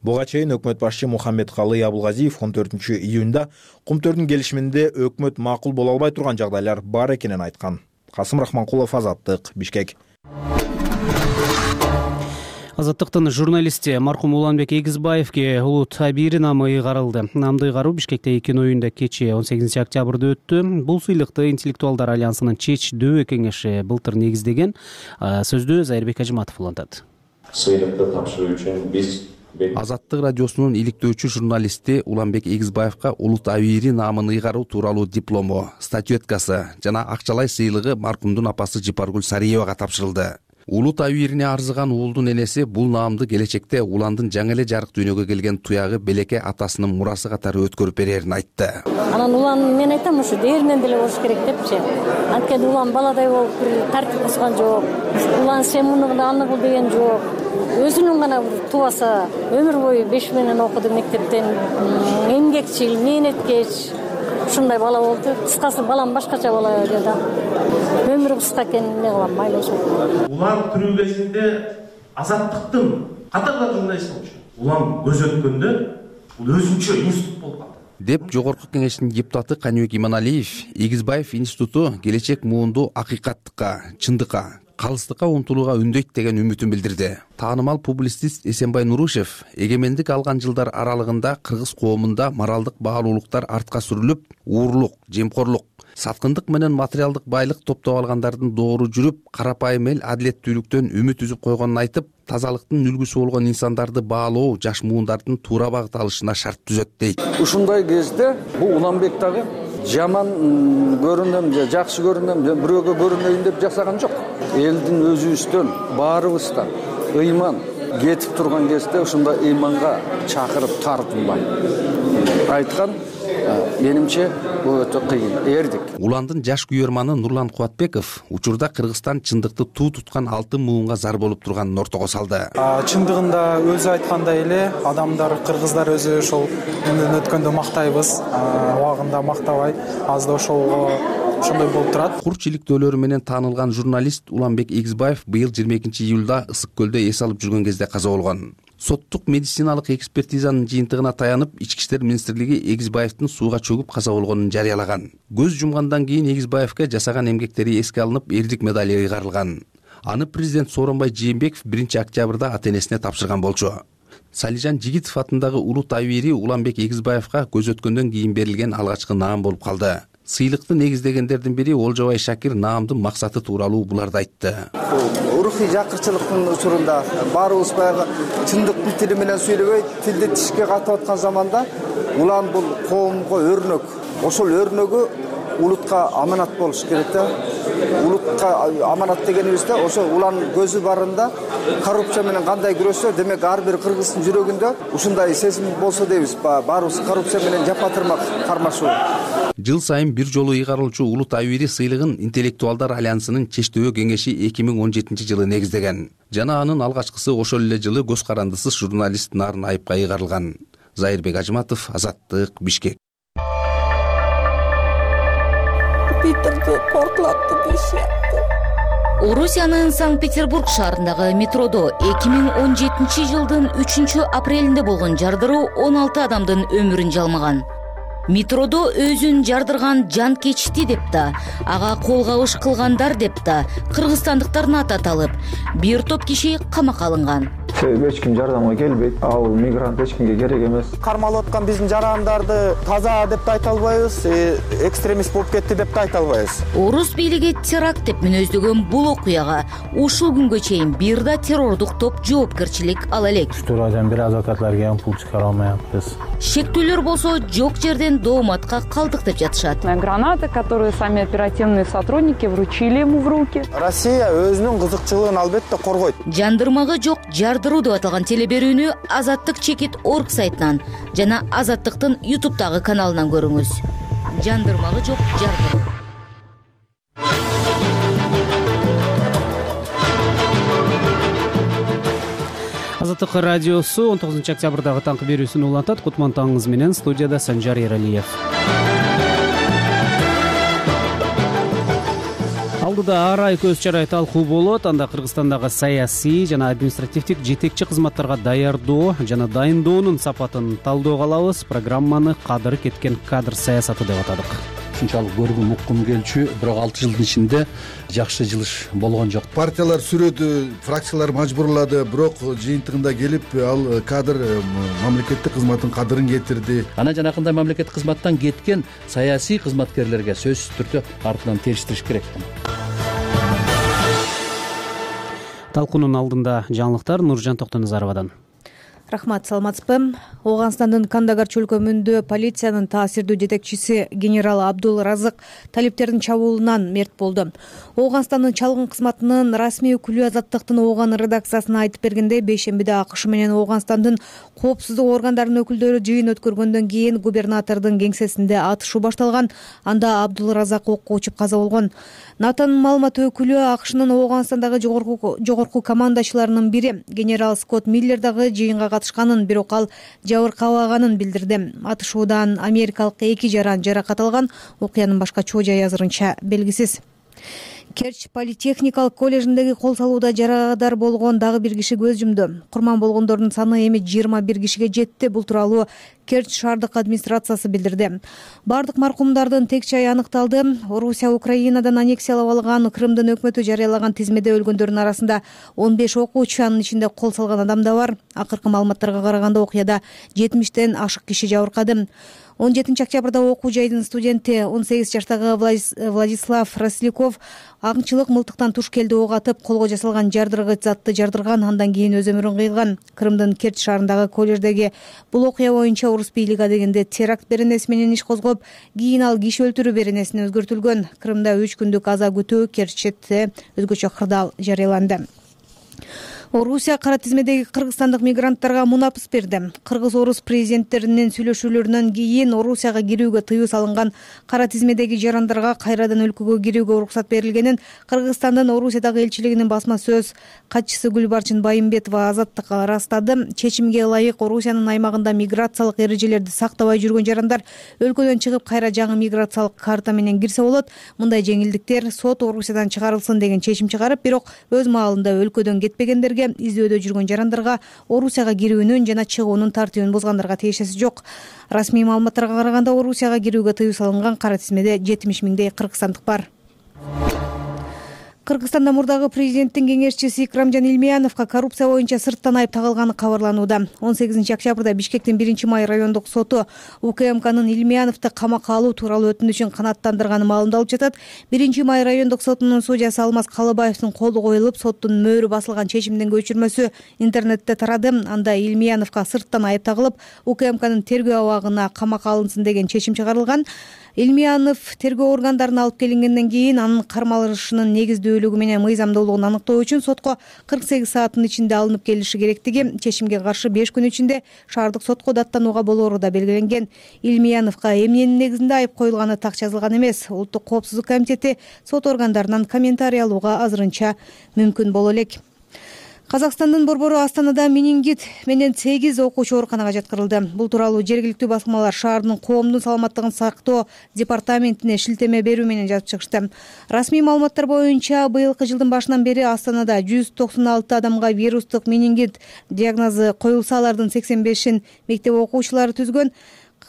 Буга чейин өкмөт башчы Мухаммедкалый Абулгазиев он төртүнчү июнда кумтөрдүн келишиминде өкмөт макул боло албай турган жагдайлар бар экенин айткан. Касым Рахманкулов, Азаттык, Бишкек. Азаттыктын журналисти маркум Уланбек Эгизбаевге улут абийири наамы ыйгарылды. Наамды ыйгаруу Бишкекте эки оюнда кечээ он сегизинчи октябрда өттү. Бул сыйлыкты интеллектуалдар альянсынын ЧЕЧ дөбө кеңеши былтыр негиздеген. Сөздү Зайырбек Ажыматов улантат. Сыйлыкты тапшыруу үчүн биз Азаттык радиосунун иликтөөчү журналисти Уланбек Эгизбаевга улут абийири наамын ыйгаруу тууралуу диплому, статуэткасы жана акчалай сыйлыгы маркумдун апасы Жипаргүл Сариевага тапшырылды. Улут абийирине арзыган уулдун энеси бул наамды келечекте уландын жаңы эле жарык дүйнөгө келген туягы Белеке атасынын мурасы катары өткөрүп берерин айтты. Анан улан мен айтам ушу дээринен деле болуш керек депчи. Анткени улан баладай болуп бир тартип бузган жок. Улан сен муну кыл, аны кыл деген жок. Өзүнүн гана тубаса өмүр бою беш менен окуду мектептен, эмгекчил, мээнеткеч. Ушундай бала болду. Кыскасы балам башкача бала edi да. Өмүрү кыска экен, эмне кылам, майлы ошо. Улан тирүү кезинде Азаттыктын катар журналист болчу. Улан көз өткөндө бул өзүнчө институт болуп калды. Деп жогорку кеңештин депутаты Каныбек Иманалиев Эгизбаев институту келечек муунду акыйкаттыкка, чындыкка, калыстыкка умтулууга үндөйт деген үмүтүн билдирди. Таанымал публицист Эсенбай Нурушев эгемендик алган жылдар аралыгында кыргыз коомунда моралдык баалуулуктар артка сүрүлүп, уурлук, жемкорлук, саткындык менен материалдык байлык топтоп алгандардын доору жүрүп, карапайым эл адилеттүүлүктөн үмүт үзүп койгонун айтып, тазалыктын үлгүсү болгон инсандарды баалоо жаш муундардын туура багыт алышына шарт түзөт дейт. Ушундай кезде бул Уланбек дагы жаман көрүнөм же жакшы көрүнөм же бирөөгө көрүнөйүн деп жасаган жок. Элдин өзүбүздөн, баарыбыздан ыйман кетип турган кезде ушундай ыйманга чакырып тартынбай айткан, менимче бул өтө кыйын, эрдик. Уландын жаш күйөрманы Нурлан Кубатбеков учурда Кыргызстан чындыкты туу туткан алтын муунга зар болуп турганын ортого салды. Чындыгында өзү айткандай эле, адамдар, кыргыздар өзү ошол менден өткөндө мактайбыз, убагында мактабай, азда ошолго ошондой болуп турат. Курч иликтөөлөрү менен таанылган журналист Уланбек Эгизбаев быйыл жыйырма экинчи июлда Ысык көлдө эс алып жүргөн кезде каза болгон. Соттук медициналык экспертизанын жыйынтыгына таянып, Ички иштер министрлиги Эгизбаевдин сууга чөгүп каза болгонун жарыялаган. Көз жумгандан кийин Эгизбаевге жасаган эмгектери эске алынып, эрдик медали ыйгарылган. Аны президент Сооронбай Жээнбеков биринчи октябрда ата-энесине тапшырган болчу. Салижан Жигитов атындагы улут абийири Уланбек Эгизбаевга көз өткөндөн кийин берилген алгачкы наам болуп калды. Сыйлыкты негиздегендердин бири Олжобай Шакир наамдын максаты тууралуу буларды айтты. Рухий жакырчылыктын учурунда баарыбыз баягы чындыктын тили менен сүйлөбөй, тилди тишке катып аткан заманда улан бул коомго өрнөк. Ошол өрнөгү улутка аманат болуш керек да. Улутка аманат дегенибизде ошо улан көзү барында коррупция менен кандай күрөшсө, демек ар бир кыргыздын жүрөгүндө ушундай сезим болсо дейбиз. Баарыбыз коррупция менен жапатырмак кармашуу. Жыл сайын бир жолу ыйгарылчу улут абийири сыйлыгын интеллектуалдар альянсынын ЧЕЧ дөбө кеңеши эки миң он жетинчи жылы негиздеген. Жана анын алгачкысы ошол эле жылы көз карандысыз журналист Нарын Айыпка ыйгарылган. Зайырбек Ажыматов, Азаттык, Бишкек. Питерде портлатты дешет. Орусиянын Санкт-Петербург шаарындагы метродо эки миң он жетинчи жылдын үчүнчү апрелинде болгон жардыруу он алты адамдын өмүрүн жалмаган. Метродо өзүн жардырган жан кечти деп да, ага кол кабыш кылгандар деп да кыргызстандыктардын аты аталып, бир топ киши камакка алынган. себеби эч ким жардамга келбейт. Ал мигрант эч кимге керек эмес. Кармалып аткан биздин жарандарды таза деп да айта албайбыз, экстремист болуп кетти деп да айта албайбыз. Орус бийлиги теракт деп мүнөздөгөн бул окуяга ушул күнгө чейин бир да террордук топ жоопкерчилик ала элек. Штурмадан бир адвокатларга ham пул чыгара алмайбыз. Шектүүлөр болсо жок жерден дооматка калдык деп жатышат. Гранаты, которые сами оперативные сотрудники вручили ему в руки. Россия өзүнүн кызыкчылыгын албетте коргойт. Жандырмагы жок жардыруу деп аталган телеберүүнү Азаттык чекит орг сайтынан жана Азаттыктын ютубтагы каналынан көрүңүз. Жандырмагы жок жардыруу. Азаттык радиосу он тогузунчу октябрдагы таңкы берүүсүн улантат. Кутман таңыңыз менен студияда Санжар Эралиев. Алдыда ар ай көз чарай талкуу болот. Анда Кыргызстандагы саясий жана административдик жетекчи кызматтарга даярдоо жана дайындоонун сапатын талдөөгө алабыз. Программаны кадыры кеткен кадр саясаты деп атадык. Ушунчалык көргүм уккум келчү, бирок алты жылдын ичинде жакшы жылыш болгон жок. Партиялар сүрөдү, фракциялар мажбурлады, бирок жыйынтыгында келип ал кадр мамлекеттик кызматтын кадырын кетирди. Ана жанакындай мамлекеттик кызматтан кеткен саясий кызматкерлерге сөзсүз түрдө артынан териштириш керек. Талкуунун алдында жаңылыктар Нуржан Токтоназаровадан. Рахмат, саламатсызбы? Ооганстандын Кандагар чөлкөмүндө полициянын таасирдүү жетекчиси генерал Абдул Разык талиптердин чабуулунан мерт болду. Ооганстандын чалгын кызматынын расмий өкүлү Азаттыктын Ооган редакциясына айтып бергенде, бейшембиде АКШ менен Ооганстандын коопсуздук органдарынын өкүлдөрү жыйын өткөргөндөн кийин губернатордун кеңсесинде атышуу башталган. Анда Абдул Разак окко учуп каза болгон. НАТОнун маалымат өкүлү АКШнын Ооганстандагы жогорку жогорку командачыларынын бири генерал Скотт Миллер дагы жыйынга катышканын, бирок ал жабыркабаганын билдирди. Атышуудан америкалык эки жаран жаракат алган. Окуянын башка чоо жайы азырынча белгисиз. Керч политехникалык коллежиндеги кол салууда жарадар болгон дагы бир киши көз жумду. Курман болгондордун саны эми жыйырма бир кишиге жетти. Бул тууралуу Керч шаардык администрациясы билдирди. Бардык маркумдардын тек жайы аныкталды. Орусия Украинадан аннексиялап алган Крымдын өкмөтү жарыялаган тизмеде өлгөндөрдүн арасында он беш окуучу, анын ичинде кол салган адам да бар. Акыркы маалыматтарга караганда окуяда жетимиштен ашык киши жабыркады. он жетинчи октябрда окуу жайдын студенти он сегиз жаштагы Владислав Росляков аңчылык мылтыктан туш келди ок атып, колго жасалган жардыргыч затты жардырган, андан кийин өз өмүрүн кыйган. Крымдын Керч шаарындагы коллеждеги бул окуя боюнча Орус бийлиги адегенде теракт беренеси менен иш козгоп, кийин ал киши өлтүрүү беренесине өзгөртүлгөн. Крымда үч күндүк аза күтүү, Керчте өзгөчө кырдаал жарыяланды. Орусия кара тизмедеги кыргызстандык мигранттарга мунапыс берди. Кыргыз-орус президенттеринин сүйлөшүүлөрүнөн кийин Орусияга кирүүгө тыюу салынган кара тизмедеги жарандарга кайрадан өлкөгө кирүүгө уруксат берилгенин Кыргызстандын Орусиядагы элчилигинин басма сөз катчысы Гүлбарчын Байымбетова Азаттыкка ырастады. Чечимге ылайык Орусиянын аймагында миграциялык эрежелерди сактабай жүргөн жарандар өлкөдөн чыгып кайра жаңы миграциялык карта менен кирсе болот. Мындай жеңилдиктер сот Орусиядан чыгарылсын деген чечим чыгарып, бирок өз маалында өлкөдөн кетпегендерге, издөөдө жүргөн жарандарга Орусияга кирүүнүн жана чыгуунун тартибин бузгандарга тиешеси жок. Расмий маалыматтарга караганда Орусияга кирүүгө тыюу салынган кара тизмеде жетимиш миңдей кыргызстандык бар. Кыргызстанда мурдагы президенттин кеңешчиси Икрамжан Илмияновго коррупция боюнча сырттан айып тагылганы кабарланууда. он сегизинчи октябрда Бишкектин биринчи май райондук соту УКМКнын Илмияновду камакка алуу тууралуу өтүнүчүн канааттандырганын маалымдалып жатат. биринчи май райондук сотунун судьясы Алмаз Калыбаевдин колу коюлуп, соттун мөөрү басылган чечимдин көчүрмөсү интернетте тарады. Анда Илмияновго сырттан айып тагылып, УКМКнын тергөө абагына камакка алынсын деген чечим чыгарылган. Илмиянов тергөө органдарына алып келингенден кийин анын кармалышынын негиздүүлүгү менен мыйзамдуулугун аныктоо үчүн сотко кырк сегиз сааттын ичинде алынып келиши керектиги, чечимге каршы беш күн ичинде шаардык сотко даттанууга болоору да белгиленген. Илмияновго эмненин негизинде айып коюлганы так жазылган эмес. Улуттук коопсуздук комитети сот органдарынан комментарий алууга азырынча мүмкүн боло элек. Казакстандын борбору Астанада менингит менен сегиз окуучу ооруканага жаткырылды. Бул тууралуу жергиликтүү басылмалар шаардын коомдун саламаттыгын сактоо департаментине шилтеме берүү менен жазып чыгышты. Расмий маалыматтар боюнча быйылкы жылдын башынан бери Астанада жүз токсон алты адамга вирустук менингит диагнозу коюлса, алардын сексен бешин мектеп окуучулары түзгөн.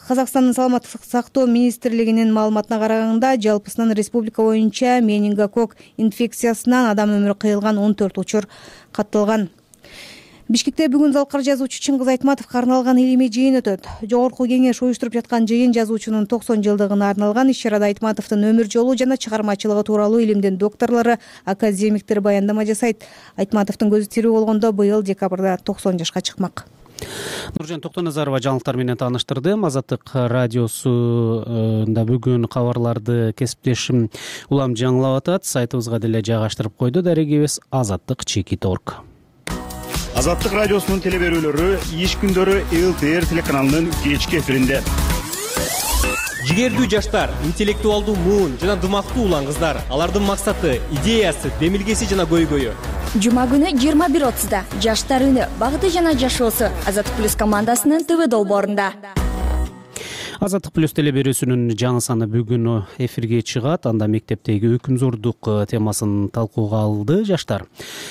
Казакстандын саламаттык сактоо министрлигинин маалыматына караганда, жалпысынан республика боюнча менингококк инфекциясынан адам өмүрү кыйылган он төрт учур катталган. Бишкекте бүгүн залкар жазуучу Чыңгыз Айтматовго арналган илимий жыйын өтөт. Жогорку кеңеш уюштуруп жаткан жыйын жазуучунун токсон жылдыгына арналган иш-чарада Айтматовдун өмүр жолу жана чыгармачылыгы тууралуу илимдин докторлору, академиктер баяндама жасайт. Айтматовдун көзү тирүү болгондо быйыл декабрда токсон жашка чыкмак. Нуржан Токтоназарова жаңылыктар менен тааныштырды. Азаттык радиосунда бүгүн кабарларды кесиптешим Улам жаңылап атат. Сайтыбызга деле жайгаштырып койду. Дарегибиз азаттык чекит точка орг. Азаттык радиосунун телеберүүлөрү иш күндөрү эл тэ эр телеканалынын кечки эфиринде. Жигердүү жаштар, интеллектуалдуу муун жана дымактуу улан кыздар. Алардын максаты, идеясы, демилгеси жана көйгөйү. Жума күнү жыйырма бир отузда жаштар үнү багыты жана жашоосу Азаттык плюс командасынын ТВ долбоорунда. Азаттык плюс телеберүүсүнүн жаңы саны бүгүн эфирге чыгат. Анда мектептеги өкүмзордук темасын талкууга алды жаштар.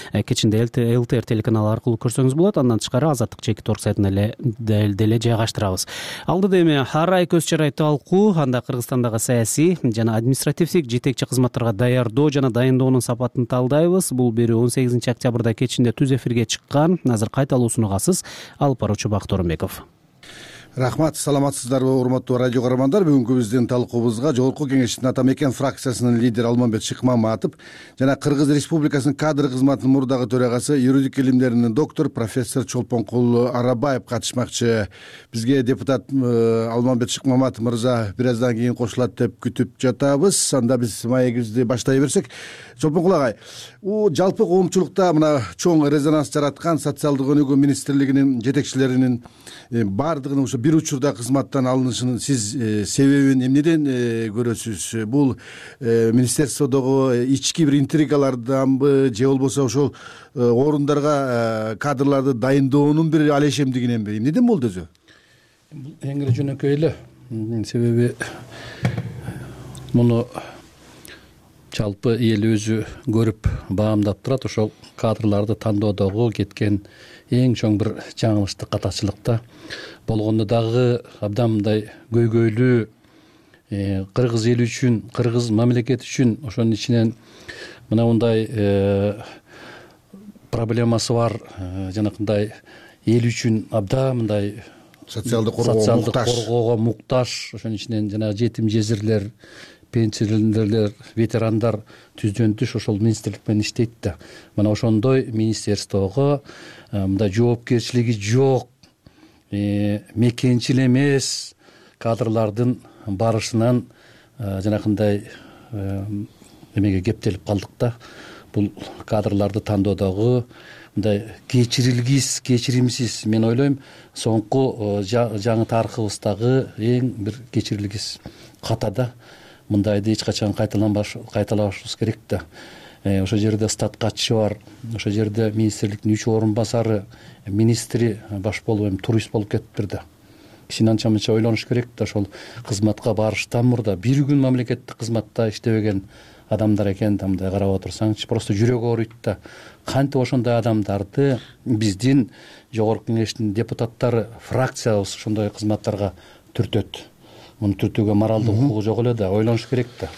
Кечинде эл тэ эр телеканалы аркылуу көрсөңүз болот. Андан тышкары азаттык чекит точка орг сайтына эле деле жайгаштырабыз. Алдыда эми ар ай көз чарай талкуу, анда Кыргызстандагы саясий жана административдик жетекчи кызматтарга даярдоо жана дайындоонун сапатын талдайбыз. Бул берүү он сегизинчи октябрда кечинде түз эфирге чыккан. Азыр кайталуусун угасыз. Алып баруучу Бакыт Оронбеков. Рахмат, саламатсыздарбы урматтуу радио көрөрмандар. Бүгүнкү биздин талкуубузга Жогорку кеңештин Ата Мекен фракциясынын лидери Алмамбет Шыкмаматов жана Кыргыз Республикасынын кадр кызматынын мурдагы төрагасы, юридик илимдеринин доктор профессор Чолпонкул Арабаев катышмакчы. Бизге депутат Алмамбет Шыкмаматов мырза бир аздан кийин кошулат деп күтүп жатабыз. Анда биз маегибизди баштай берсек, Чолпонкул агай, у жалпы коомчулукта мына чоң резонанс жараткан социалдык өнүгүү министрлигинин жетекчилеринин баардыгынын ошо бир учурда кызматтан алынышынын сиз себебин эмнеден көрөсүз? Бул министерстводогу ички бир интригаларданбы же болбосо ошол орундарга кадрларды дайындоонун бир алешемдигиненби? Эмнеден болду өзү? Эң эле жөнөкөй эле. Себеби муну жалпы эл өзү көрүп баамдап турат. Ошол кадрларды тандоодогу кеткен эң чоң бир жаңылыштык катачылыкта болгондо дагы абдан мындай көйгөйлүү кыргыз эли үчүн, кыргыз мамлекети үчүн ошонун ичинен мына мындай проблемасы бар жанакындай эл үчүн абдан мындай социалдык коргоого муктаж, ошонун ичинен жанагы жетим жезирлер, пенсионерлер, ветерандар түздөн түз ошол министрлик менен иштейт да. Мына ошондой министерствого мындай жоопкерчилиги жок, мекенчил эмес кадрлардын барышынан жанакындай эмеге кептелип калдык да. Бул кадрларды тандоодогу мындай кечирилгис, кечиримсиз, мен ойлойм, соңку жаңы тарыхыбыздагы эң бир кечирилгис катада. Мындайды эч качан кайталабашыбыз керек да. Ошол жерде статкачы бар, ошол жерде министрликтин үч орун басары, министри баш болуп эми турист болуп кетиптир да. Киши анча мынча ойлонуш керек да, ошол кызматка барыштан мурда бир күн мамлекеттик кызматта иштебеген адамдар экен да, мындай карап отурсаңчы, просто жүрөгү ооруйт да. Кантип ошондой адамдарды биздин жогорку кеңештин депутаттары, фракциябыз ошондой кызматтарга түртөт? Муну түртүүгө моралдык укугу жок эле да, ойлонуш керек да.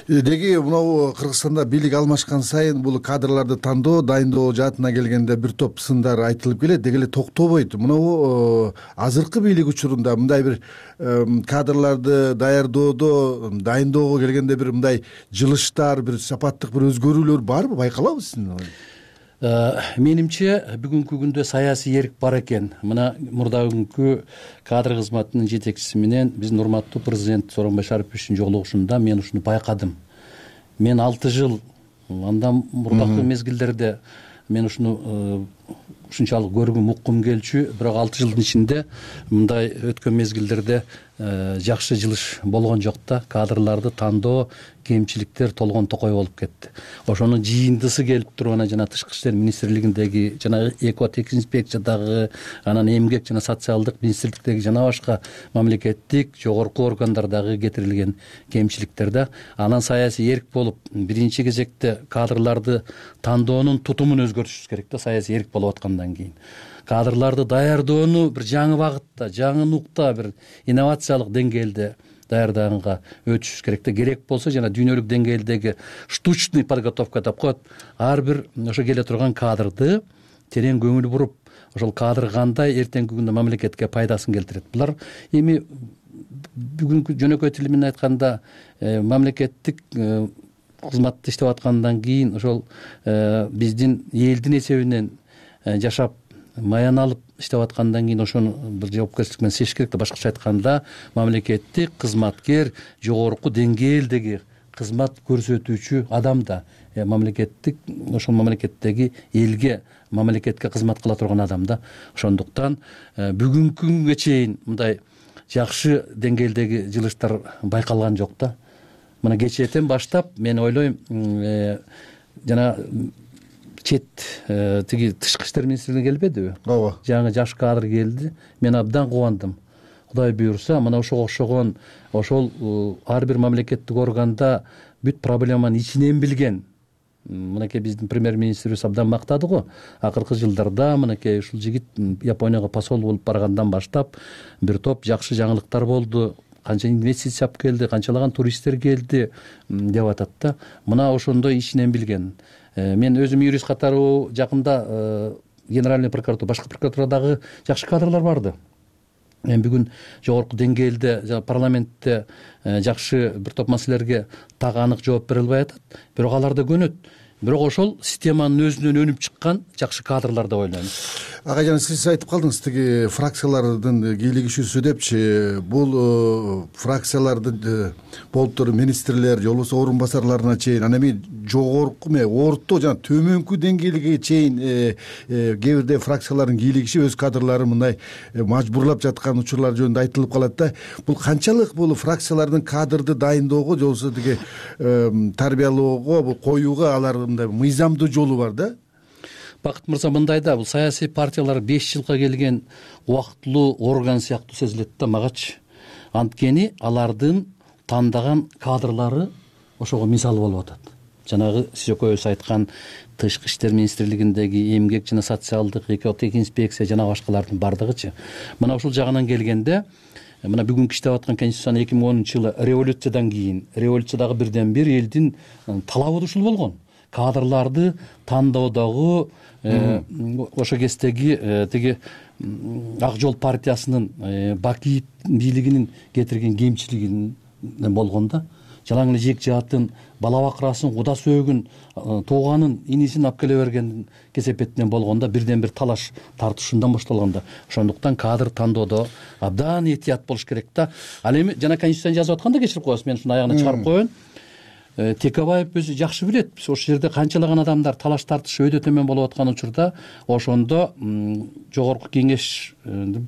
Деги мынау Кыргызстанда бийлик алмашкан сайын бул кадрларды тандоо, дайындоо жаатына келгенде бир топ сындар айтылып келет, деги эле токтобойт. Мынау азыркы бийлик учурунда мындай бир кадрларды даярдоодо, дайындоого келгенде бир мындай жылыштар, бир сапаттык бир өзгөрүүлөр барбы, байкалабы сиздин? Менимче бүгүнкү күндө саясий эрк бар экен. Мына мурдагы кадр кызматынын жетекчиси менен биздин урматтуу президент Сооронбай Шариповичтин жолугушунда мен ушуну байкадым. Мен алты жыл андан мурдакы мезгилдерде мен ушуну ушунчалык көргүм, уккум келчү, бирок алты жылдын ичинде мындай өткөн мезгилдерде жакшы жылыш болгон жок да. Кадрларды тандоо, кемчиликтер толгон токой болуп кетти. Ошонун жыйындысы келип турган жана тышкы иштер министрлигиндеги жана экотек инспекциядагы, анан эмгек жана социалдык министрликтеги жана башка мамлекеттик жогорку органдардагы кетирилген кемчиликтер да. Анан саясий эрк болуп, биринчи кезекте кадрларды тандоонун тутумун өзгөртүшүбүз керек да, саясий эрк болуп аткандан кийин. Кадрларды даярдоону бир жаңы багытта, жаңы нукта, бир инновациялык деңгээлде даярдаганга өтүшүбүз керек да. Керек болсо жана дүйнөлүк деңгээлдеги штучный подготовка деп коет. Ар бир ошо келе турган кадрды терең көңүл буруп, ошол кадр кандай эртеңки күндө мамлекетке пайдасын келтирет. Булар эми бүгүнкү жөнөкөй тили менен айтканда мамлекеттик кызматты иштеп аткандан кийин ошол биздин элдин эсебинен жашап маян алып иштеп аткандан кийин ошону бир жоопкерчилик менен сезиш керек да. Башкача айтканда мамлекеттик кызматкер жогорку деңгээлдеги кызмат көрсөтүүчү адам да, мамлекеттик ошол мамлекеттеги элге мамлекетке кызмат кыла турган адам да. Ошондуктан бүгүнкү күнгө чейин мындай жакшы деңгээлдеги жылыштар байкалган жок да. Мына кечээден баштап мен ойлойм жана чет тиги тышкы иштер министрлигине келбедиби? Ооба. Жаңы жаш кадр келди. Мен абдан кубандым. Кудай буйрса, мына ошого окшогон ошол ар бир мамлекеттик органда бүт проблеманы ичинен билген. Мынакей биздин премьер-министрибиз абдан мактады го. Акыркы жылдарда мынакей ушул жигит Японияга посол болуп баргандан баштап бир топ жакшы жаңылыктар болду. Канча инвестиция алып келди, канчалаган туристтер келди деп атат да. Мына ошондой ичинен билген. Мен өзүм юрист катары жакында генеральный прокуратура, башкы прокуратурадагы жакшы кадрлар барды. Мен бүгүн жогорку деңгээлде парламентте жакшы бир топ маселелерге так анык жооп бере албай атат. Бирок алар да көнөт. Бирок ошол системанын өзүнөн өнүп чыккан жакшы кадрлар деп ойлойм. Ага, жана сиз айтып калдыңыз тиги фракциялардын кийлигишүүсү депчи. Бул фракциялардын болуптур министрлер, же болбосо орун басарларына чейин, анан эми жогорку ме орто жана төмөнкү деңгээлге чейин кээ бирде фракциялардын кийлигиши өз кадрларын мындай мажбурлап жаткан учурлар жөнүндө айтылып калат да. Бул канчалык бул фракциялардын кадрды дайындоого, же болбосо тиги тарбиялоого, бул коюуга алар мындай мыйзамдуу жолу бар да? Бакыт мырза, мындай да, бул саясий партиялар беш жылга келген убактылуу орган сыяктуу сезилет да магачы. Анткени алардын тандаган кадрлары ошого мисал болуп атат. Жанагы сиз экөөбүз айткан тышкы иштер министрлигиндеги эмгек жана социалдык экотек инспекция жана башкалардын бардыгычы. Мына ушул жагынан келгенде, мына бүгүнкү иштеп аткан конституциянын эки миң онунчу жылы революциядан кийин, революциядагы бирден бир элдин талабы ушул болгон. Кадрларды тандоодогу ошо кездеги тиги Ак жол партиясынын Бакиев бийлигинин кетирген кемчилигин болгон да. Жалаң эле жек жаатын, бала бакырасын, куда сөөгүн, тууганын, инисин алып келе берген кесепетинен болгондо бирден бир талаш тартышуудан башталганда. Ошондуктан кадр тандоодо абдан этият болуш керек да. Ал эми жана конституцияны жазып атканда кечирип коесуз, мен ушуну аягына чыгарып коеюн. Текебаев өзү жакшы билет. Биз ошол жерде канчалаган адамдар талаш тартыш өйдө төмөн болуп аткан учурда ошондо жогорку кеңеш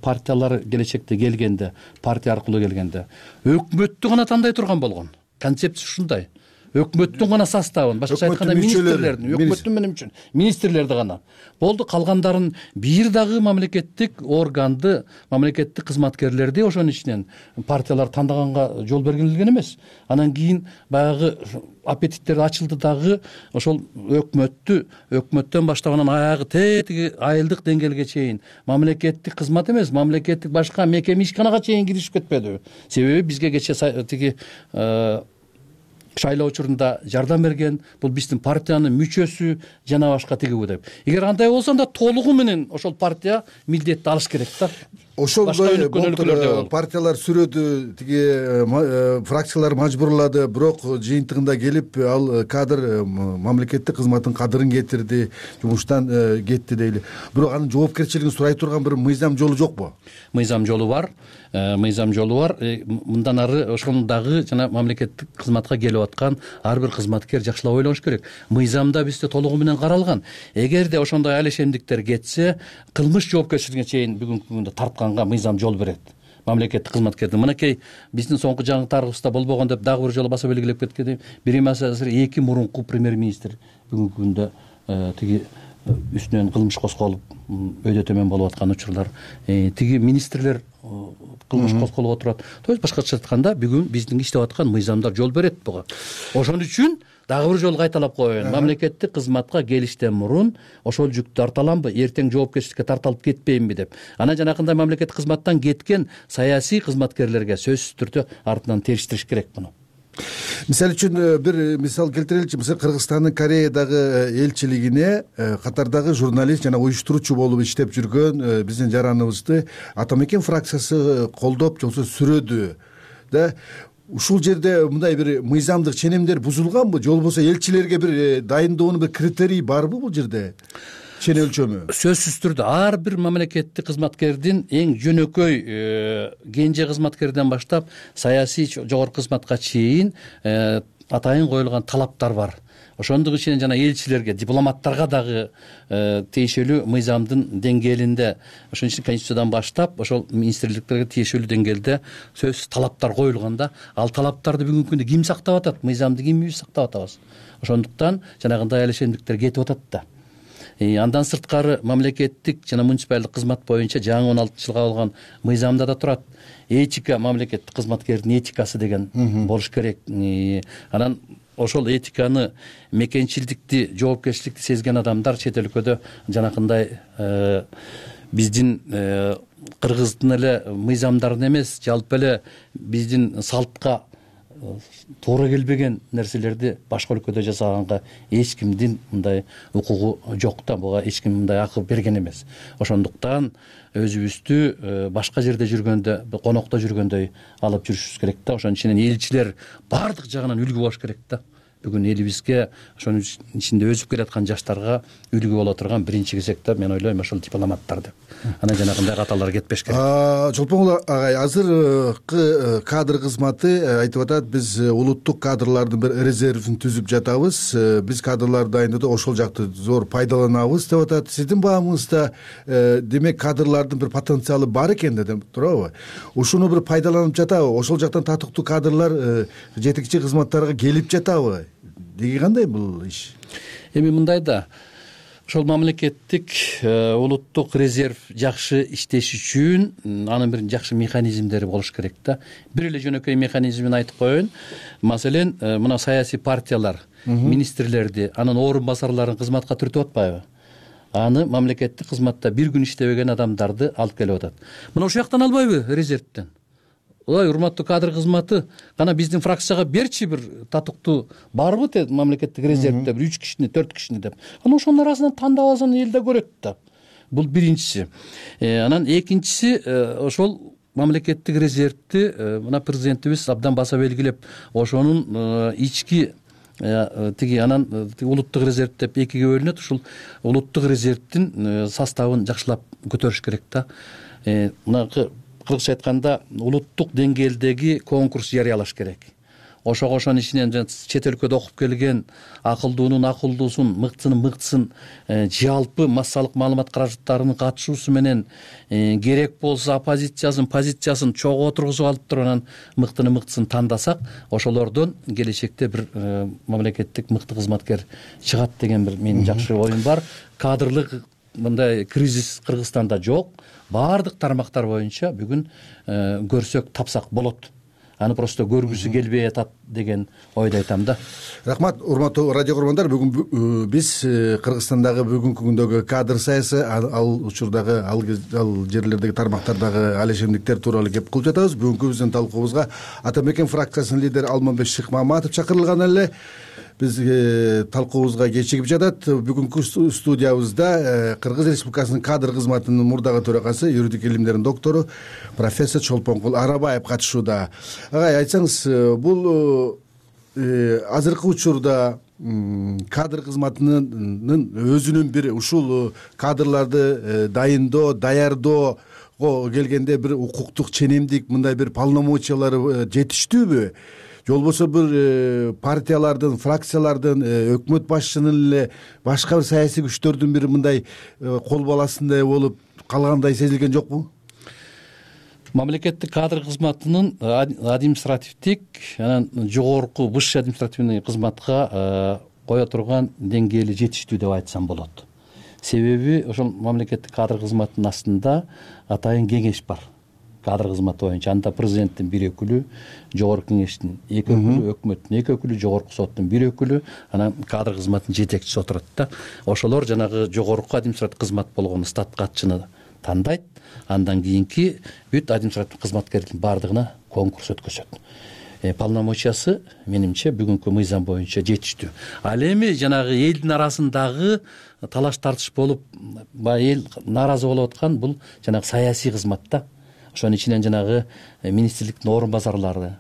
партиялары келечекте келгенде, партия аркылуу келгенде өкмөттү гана тандай турган болгон. Концепция ушундай. Өкмөттүн гана составын, башкача айтканда министрлердин, өкмөттүн менен үчүн министрлерди гана. Болду, калгандарын бир дагы мамлекеттик органды, мамлекеттик кызматкерлерди ошонун ичинен партиялар тандаганга жол бергилген эмес. Анан кийин баягы аппетиттер ачылды дагы ошол өкмөттү, өкмөттөн баштап анан аягы тетиги айылдык деңгээлге чейин мамлекеттик кызмат эмес, мамлекеттик башка мекеме ишканага чейин киришип кетпеди. Себеби бизге кечээ тиги шайлоо учурунда жардам берген, бул биздин партиянын мүчөсү жана башка тиги деп. Эгер андай болсо анда толугу менен ошол партия милдетти алыш керек да. Ошондой партиялар сүрөдү, тиги фракциялар мажбурлады, бирок жыйынтыгында келип ал кадр мамлекеттик кызматтын кадырын кетирди, жумуштан кетти дейли. Бирок анын жоопкерчилигин сурай турган бир мыйзам жолу жокпу? Мыйзам жолу бар. Мыйзам жолу бар. Мындан ары ошондагы жана мамлекеттик кызматка келип аткан ар бир кызматкер жакшылап ойлош керек. Мыйзамда бизде толугу менен каралган. Эгерде ошондой алешемдиктер кетсе, кылмыш жоопкерчилигине чейин бүгүнкү күндө тартканга мыйзам жол берет. Мамлекеттик кызматкердин мынакей биздин соңку жаңылыктарыбызда болбогон деп дагы бир жолу баса белгилеп кеткеним, бир эмес эки мурунку премьер-министр бүгүнкү күндө тиги үстүнөн кылмыш козголуп өйдө төмөн болуп аткан учурлар, тиги министрлер кылмыш козголуп отурат. То есть башкача айтканда бүгүн биздин иштеп аткан мыйзамдар жол берет буга. Ошон үчүн дагы бир жолу кайталап коеюн. Мамлекеттик кызматка келиштен мурун ошол жүктү арталамбы, эртең жоопкерчиликке тартылып кетпейинби деп. Анан жанакындай мамлекеттик кызматтан кеткен саясий кызматкерлерге сөзсүз түрдө артынан териштириш керек муну. мисалы үчүн бир мисал келтиреличи. Мисалы Кыргызстандын Кореядагы элчилигине катардагы журналист жана уюштуруучу болуп иштеп жүргөн биздин жараныбызды Атамекен фракциясы колдоп же болбосо сүрөдү да. Ушул жерде мындай бир мыйзамдык ченемдер бузулганбы же болбосо элчилерге бир дайындоонун бир критерийи барбы бул жерде? Чен өлчөмү? Сөзсүз түрдө ар бир мамлекеттик кызматкердин эң жөнөкөй кенже кызматкерден баштап саясий жогорку кызматка чейин атайын коюлган талаптар бар. Ошондук ичинен жана элчилерге, дипломаттарга дагы тиешелүү мыйзамдын деңгээлинде, ошон үчүн Конституциядан баштап ошол министрликтерге тиешелүү деңгээлде сөзсүз талаптар коюлганда, ал талаптарды бүгүнкү күндө ким сактап атат? Мыйзамды кимибиз сактап атабыз? Ошондуктан жанагындай алешендиктер кетип атат да. Андан сырткары мамлекеттик жана муниципалдык кызмат боюнча жаңы он алтынчы жылы кабылган мыйзамда да турат. Этика, мамлекеттик кызматкердин этикасы деген болуш керек. Анан ошол этиканы, мекенчилдикти, жоопкерчиликти сезген адамдар чет өлкөдө жанакындай биздин кыргыздын эле мыйзамдарын эмес, жалпы эле биздин салтка туура келбеген нерселерди башка өлкөдө жасаганга эч кимдин мындай укугу жок да, буга эч ким мындай акы берген эмес. Ошондуктан өзүбүздү башка жерде жүргөндө, конокто жүргөндөй алып жүрүшүбүз керек да. Ошонун ичинен элчилер баардык жагынан үлгү болуш керек да. Бүгүн элибизге, ошонун ичинде өсүп келаткан жаштарга үлгү боло турган биринчи кезекте мен ойлойм ошол дипломаттар деп. Анан жанагындай каталар кетпеш керек. Чолпон агай, азыркы кадр кызматы айтып атат, биз улуттук кадрлардын бир резервин түзүп жатабыз, биз кадрларды дайындоодо ошол жакты зор пайдаланабыз деп атат. Сиздин баамыңызда демек кадрлардын бир потенциалы бар экен деп турабы? Ушуну бир пайдаланып жатабы? Ошол жактан татыктуу кадрлар жетекчи кызматтарга келип жатабы? Деги кандай бул иш? Эми мындай да, ошол мамлекеттик улуттук резерв жакшы иштеш үчүн анын бир жакшы механизмдери болуш керек да. Бир эле жөнөкөй механизмин айтып коеюн. Маселен, мына саясий партиялар министрлерди, анын орун басарларын кызматка түртүп атпайбы? Аны мамлекеттик кызматта бир күн иштебеген адамдарды алып келип атат. Мына ушул жактан албайбы резервден? Ой, урматтуу кадр кызматы, кана биздин фракцияга берчи бир татыктуу барбы те мамлекеттик резервде бир үч кишини, төрт кишини деп. Анан ошонун арасынан тандап алсаң эл да көрөт да. Бул биринчиси. Анан экинчиси, ошол мамлекеттик резервди мына президентибиз абдан баса белгилеп, ошонун ички тиги анан улуттук резерв деп экиге бөлүнөт. Ушул улуттук резервдин составын жакшылап көтөрүш керек да. Мынакы кыргызча айтканда улуттук деңгээлдеги конкурс жарыялаш керек. Ошого ошонун ичинен чет өлкөдө окуп келген акылдуунун акылдуусун, мыктысынын мыктысын жалпы массалык маалымат каражаттарынын катышуусу менен керек болсо оппозициясын, позициясын чогуу отургузуп алып туруп анан мыктыны мыктысын тандасак, ошолордон келечекте бир мамлекеттик мыкты кызматкер чыгат деген бир менин жакшы оюм бар. Кадрлык мындай кризис Кыргызстанда жок. Баардык тармактар боюнча бүгүн көрсөк, тапсак болот. Аны просто көргүсү келбей атат деген ойду айтам да. Рахмат, урматтуу радио көрөрмандар. Бүгүн биз Кыргызстандагы бүгүнкү күндөгү кадр саясаты, ал учурдагы, ал жерлердеги тармактардагы алешемдиктер тууралуу кеп кылып жатабыз. Бүгүнкү биздин талкуубузга Атамекен фракциясынын лидери Алмамбет Шыкмаматов чакырылган эле. Биз талкуубузга кечигип жатат. Бүгүнкү студиябызда Кыргыз Республикасынын кадр кызматынын мурдагы төрагасы, юридик илимдердин доктору профессор Чолпонкул Арабаев катышууда. Агай, айтсаңыз, бул азыркы учурда кадр кызматынын өзүнүн бир ушул кадрларды дайындоо, даярдоого келгенде бир укуктук ченемдик, мындай бир полномочиялары жетиштүүбү? Же болбосо бир партиялардын, фракциялардын, өкмөт башчынын эле башка бир саясий күчтөрдүн бир мындай кол баласындай болуп калгандай сезилген жокпу? Мамлекеттик кадр кызматынын административдик, анан жогорку высший административный кызматка кое турган деңгээли жетиштүү деп айтсам болот. Себеби ошол мамлекеттик кадр кызматынын астында атайын кеңеш бар. Кадр кызматы боюнча анда президенттин бир өкүлү, жогорку кеңештин эки өкүлү, өкмөттүн эки өкүлү, жогорку соттун бир өкүлү, анан кадр кызматынын жетекчиси отурат да. Ошолор жанагы жогорку административдик кызмат болгон стат катчыны тандайт. Андан кийинки бүт административдик кызматкердин баардыгына конкурс өткөзөт. полномочиясы менимче бүгүнкү мыйзам боюнча жетиштүү. Ал эми жанагы элдин арасындагы талаш тартыш болуп баягы эл нааразы болуп аткан бул жанагы саясий кызматта. Ошонун ичинен жанагы министрликтин орун базарлары,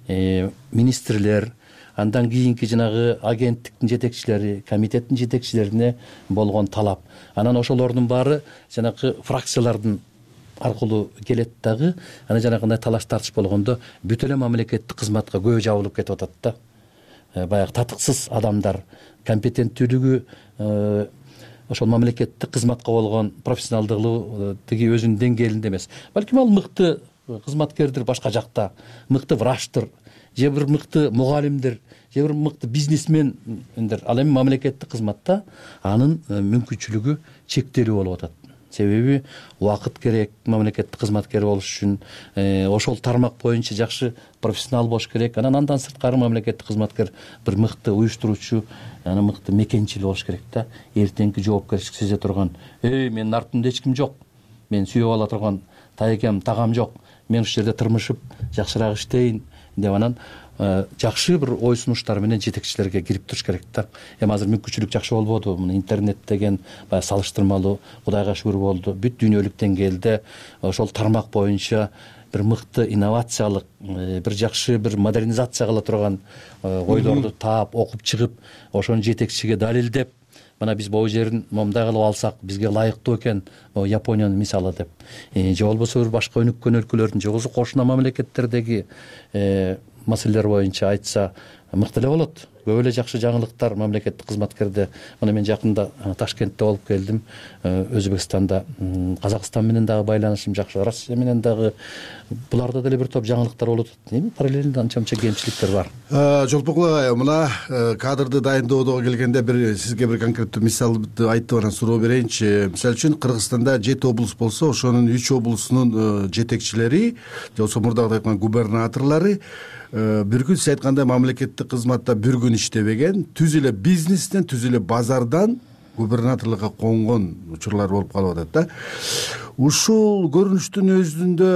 министрлер, андан кийинки жанагы агенттиктин жетекчилери, комитеттин жетекчилерине болгон талап. Анан ошолордун баары жанагы фракциялардын аркылуу келет дагы. Анан жанагындай талаш тартыш болгондо бүт эле мамлекеттик кызматка көбү жабылып кетип атат да. Баягы татыксыз адамдар компетенттүүлүгү ошол мамлекеттик кызматка болгон профессионалдыгы тиги өзүнүн деңгээлинде эмес. Балким ал мыкты кызматкердир башка жакта, мыкты врачтыр, же бир мыкты мугалимдир, же бир мыкты бизнесмендер. Ал эми мамлекеттик кызматта анын мүмкүнчүлүгү чектелүү болуп атат. Себеби убакыт керек мамлекеттик кызматкер болуш үчүн, ошол тармак боюнча жакшы профессионал болуш керек. Анан андан сырткары мамлекеттик кызматкер бир мыкты уюштуруучу, анан мыкты мекенчил болуш керек да. Эртеңки жоопкерчилик сезе турган, эй, менин артымда эч ким жок, мен сүйүп ала турган тайкем, тагам жок, мен ушул жерде тырмышып жакшыраак иштейин деп анан жакшы бир ой сунуштар менен жетекчилерге кирип туруш керек да. Эми азыр мүмкүнчүлүк жакшы болбоду. Мына интернет деген баягы салыштырмалуу Кудайга шүгүр болду. Бүт дүйнөлүк деңгээлде ошол тармак боюнча бир мыкты инновациялык, бир жакшы бир модернизация кыла турган ойлорду таап, окуп чыгып, ошону жетекчиге далилдеп, мына биз могу жерин момундай кылып алсак бизге ылайыктуу экен, могу Япониянын мисалы деп. Же болбосо бир башка өнүккөн өлкөлөрдүн, же болбосо кошуна мамлекеттердеги маселелер боюнча айтса мыкты эле болот. Көп эле жакшы жаңылыктар мамлекеттик кызматкерде. Мына мен жакында Ташкентте болуп келдим. Өзбекстанда, Казакстан менен дагы байланышым жакшы, Россия менен дагы. Буларда деле бир топ жаңылыктар болуп атат. Эми параллельно анча-мынча кемчиликтер бар. Жолпокул агай, мына кадрды дайындоодо келгенде бир сизге бир конкреттүү мисалды айтып анан суроо берейинчи. Мисалы үчүн Кыргызстанда жети облус болсо, ошонун үч облусунун жетекчилери, же болбосо мурдагы айткан губернаторлору бир күн сиз айткандай мамлекеттик кызматта бир күн иштебеген, түз эле бизнестен, түз эле базардан губернаторлукка конгон учурлар болуп калып атат да. Ушул көрүнүштүн өзүндө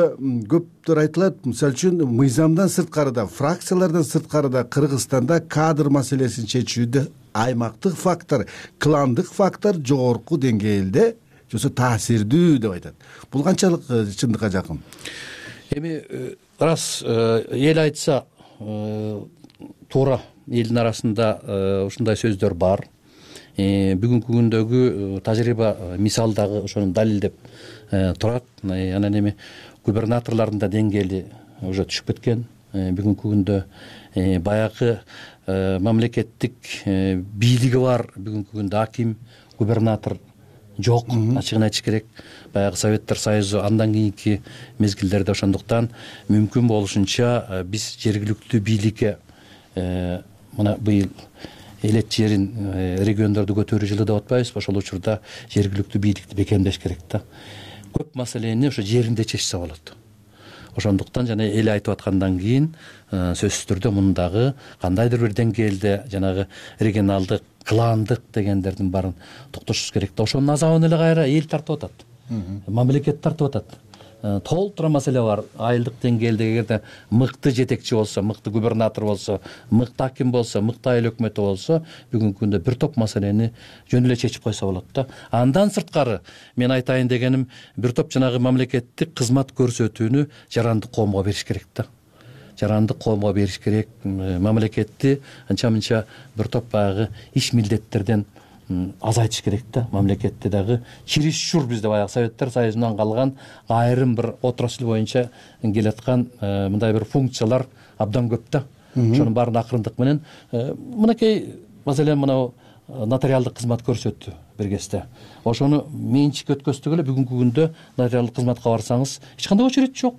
көптөр айтылат. Мисалы үчүн мыйзамдан сырткарыда, фракциялардан сырткарыда Кыргызстанда кадр маселесин чечүүдө аймактык фактор, кландык фактор жогорку деңгээлде, же болбосо таасирдүү деп айтат. Бул канчалык чындыкка жакын? Эми рас эл айтса туура, элдин арасында ушундай сөздөр бар. Бүгүнкү күндөгү тажрыйба мисал дагы ошону далилдеп турат. Анан эми губернаторлордун да деңгээли уже түшүп кеткен. Бүгүнкү күндө баягы мамлекеттик бийлиги бар, бүгүнкү күндө аким, губернатор жок, ачыгын айтыш керек. Баягы Советтер Союзу андан кийинки мезгилдерде ошондуктан мүмкүн болушунча биз жергиликтүү бийликке мына быйыл элет жерин, региондорду көтөрүү жылы деп атпайбызбы? Ошол учурда жергиликтүү бийликти бекемдеш керек да. Көп маселени ошо жеринде чечсе болот. Ошондуктан жана эл айтып аткандан кийин сөзсүз түрдө мундагы кандайдыр бир деңгээлде жанагы регионалдык, кландык дегендердин баарын токтотушубуз керек да. Ошонун азабын эле кайра эл тартып атат. Мамлекет тартып атат. Толтура маселе бар. Айылдык деңгээлде эгерде мыкты жетекчи болсо, мыкты губернатор болсо, мыкты аким болсо, мыкты айыл өкмөтү болсо, бүгүнкү күндө бир топ маселени жөн эле чечип койсо болот да. Андан сырткары мен айтайын дегеним, бир топ жанагы мамлекеттик кызмат көрсөтүүнү жарандык коомго бериш керек да. Жарандык коомго бериш керек. Мамлекетти анча-мынча бир топ баягы иш милдеттерден азайтыш керек да. Мамлекетте дагы чересчур бизде баягы Советтер Союзунан калган айрым бир отрасль боюнча келаткан мындай бир функциялар абдан көп да. Ошонун баарын акырындык менен мынакей маселен мына нотариалдык кызмат көрсөттү бир кезде. Ошону менчик өткөздүк эле. Бүгүнкү күндө нотариалдык кызматка барсаңыз эч кандай очередь жок.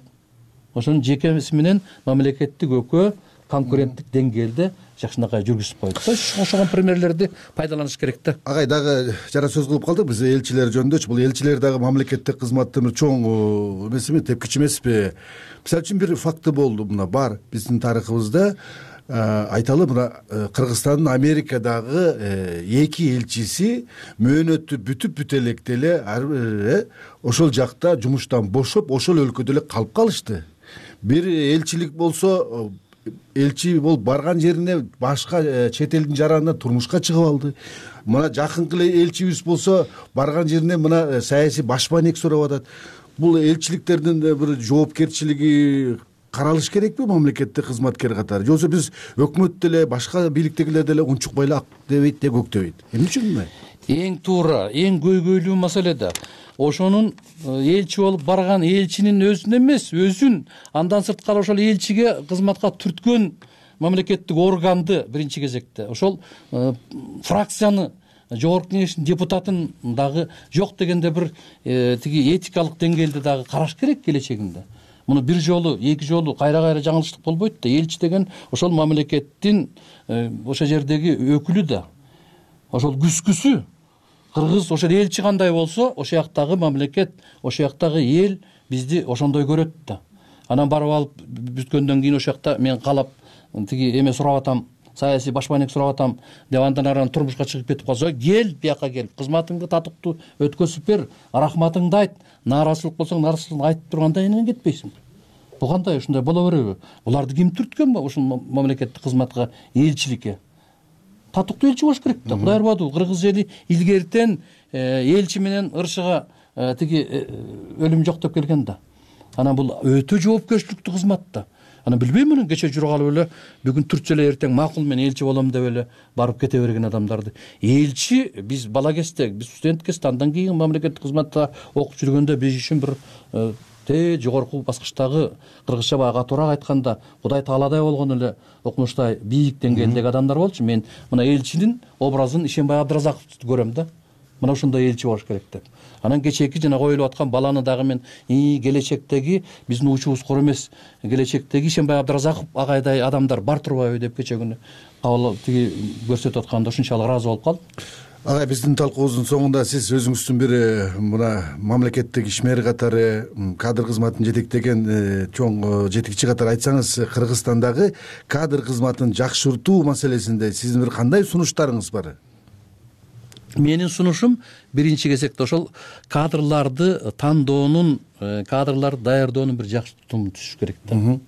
Ошонун жекеси менен мамлекеттик өкөө конкуренттик деңгээлде жакшынакай жүргүзүп койду. Ошогон примерлерди пайдаланыш керек да. Агай дагы жара сөз кылып калдык биз элчилер жөнүндө. Бул элчилер дагы мамлекеттик кызматтын чоң эмесиби, тепкичи эмеспи? Мисалы үчүн бир факты болду, мына бар биздин тарыхыбызда. Айталы, мына Кыргызстандын Америкадагы эки элчиси мөөнөтү бүтүп бүтө электе эле ошол жакта жумуштан бошоп, ошол өлкөдө эле калып калышты. Бир элчилик болсо элчи болуп барган жерине башка чет элдин жаранына турмушка чыгып алды. Мына жакынкы эле элчибиз болсо барган жерине мына саясий башпанек сурап атат. Бул элчиликтердин бир жоопкерчилиги каралыш керекпи мамлекеттик кызматкер катары? Же болбосо биз өкмөт деле башка бийликтегилер деле унчукпай эле ак дебейт де көк дебейт? Эмне үчүн? Эң туура, эң көйгөйлүү маселе да ошонун элчи болуп барган элчинин өзүн эмес, өзүн андан сырткары ошол элчиге кызматка түрткөн мамлекеттик органды биринчи кезекте ошол фракцияны жогорку кеңештин депутатын дагы жок дегенде бир тиги этикалык деңгээлде дагы караш керек келечегинде. Муну бир жолу, эки жолу кайра кайра жаңылыштык болбойт да. Элчи деген ошол мамлекеттин ошол жердеги өкүлү да. Ошол күзгүсү кыргыз ошол элчи кандай болсо, ошол жактагы мамлекет, ошол жактагы эл бизди ошондой көрөт да. Анан барып алып бүткөндөн кийин ошол жакта мен каалап тиги эме сурап атам, саясий башпанек сурап атам деп андан ары турмушка чыгып кетип калса, кел бияка келип кызматыңды татыктуу өткөзүп бер, рахматыңды айт, нааразычылык болсоң нааразычылыгын айтып турганда эмнен кетпейсиң? Бул кандай ушундай боло береби? Буларды ким түрткөн ушул мамлекеттик кызматка, элчиликке? Татыктуу элчи болуш керек да. Кудай ырбаду, кыргыз эли илгертен элчи менен ыршыга тиги өлүм жок деп келген да. Анан бул өтө жоопкерчиликтүү кызмат да. Анан билбейм, муну кече жүрүп алып эле бүгүн түртсө эле эртең макул мен элчи болом деп эле барып кете берген адамдарды. Элчи биз бала кезде, биз студент кезде, андан кийин мамлекеттик кызматта окуп жүргөндө биз үчүн бир те жогорку баскычтагы кыргызча баягы катуураак айтканда Кудай тааладай болгон эле окумуштай бийик деңгээлдеги адамдар болчу. Мен мына элчинин образын Ишенбай Абдыразаковду көрөм да. Мына ушундай элчи болуш керек деп. Анан кечээки жана коюлуп аткан баланы дагы мен келечектеги биздин учубуз кор эмес, келечектеги Ишенбай Абдыразаков агайдай адамдар бар турбайбы деп кече күнү кабыл тиги көрсөтүп атканда ушунчалык ыраазы болуп калдым. Агай, биздин талкуубуздун соңунда сиз өзүңүздүн бир мына мамлекеттик ишмер катары, кадр кызматын жетектеген чоң жетекчи катары айтсаңыз, Кыргызстандагы кадр кызматын жакшыртуу маселесинде сиздин бир кандай сунуштарыңыз бар? Менин сунушум биринчи кезекте ошол кадрларды тандоонун, кадрларды даярдоонун бир жакшы тутуму түшүш керек да.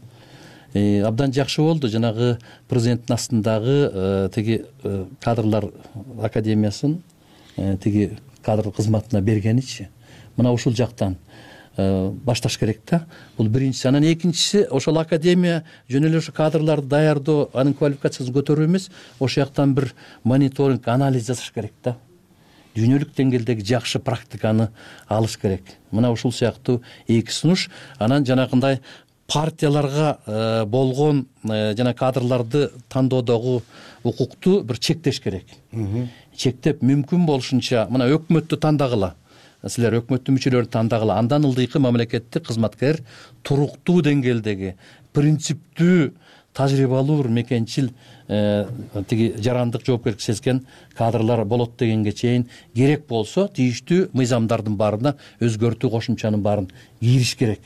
Абдан жакшы болду жанагы президенттин астындагы тиги кадрлар академиясын тиги кадр кызматына бергеничи. Мына ушул жактан башташ керек да. Бул биринчиси. Анан экинчиси ошол академия жөн эле ошо кадрларды даярдоо, анын квалификациясын көтөрүү эмес, ошол жактан бир мониторинг, анализ жасаш керек да. Дүйнөлүк деңгээлдеги жакшы практиканы алыш керек. Мына ушул сыяктуу эки сунуш. Анан жанагындай партияларга болгон жана кадрларды тандоодогу укукту бир чектеш керек. Чектеп мүмкүн болушунча мына өкмөттү тандагыла. Силер өкмөттүн мүчөлөрүн тандагыла. Андан ылдыйкы мамлекеттик кызматкер туруктуу деңгээлдеги, принциптүү, тажрыйбалуу бир мекенчил тиги жарандык жоопкерчилик сезген кадрлар болот дегенге чейин керек болсо тийиштүү мыйзамдардын баарына өзгөртүү кошумчанын баарын кийриш керек.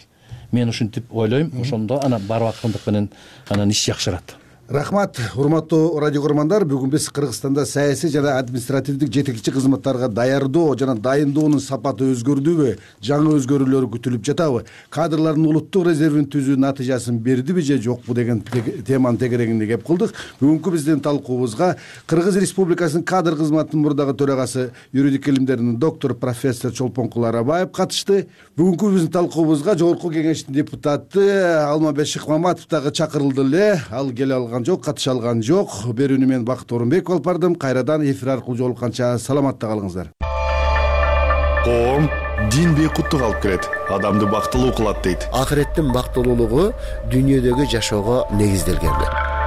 Мен ушинтип ойлойм. Ошондо анан барбакындык менен анан иш жакшырат. Рахмат, урматтуу радио көрөрмандар. Бүгүн биз Кыргызстанда саясий жана административдик жетекчи кызматтарга даярдоо жана дайындоонун сапаты өзгөрдүбү, жаңы өзгөрүүлөр күтүлүп жатабы, кадрлардын улуттук резервин түзүү натыйжасын бердиби же жокпу деген теманын тегерегинде кеп кылдык. Бүгүнкү биздин талкуубузга Кыргыз Республикасынын кадр кызматынын мурдагы төрагасы, юридик илимдеринин доктору профессор Чолпонкул Арабаев катышты. Бүгүнкү биздин талкуубузга жогорку кеңештин депутаты Алмамбет Шыкмаматов дагы чакырылды эле. Ал келе алган жок, катыша алган жок. Берүүнү мен Бакыт Орунбеков алып бардым. Кайрадан эфир аркылуу жолукканча саламатта калыңыздар. Коом дин бейкуттук алып келет, адамды бактылуу кылат дейт. Акыреттин бактылуулугу дүйнөдөгү жашоого негизделген.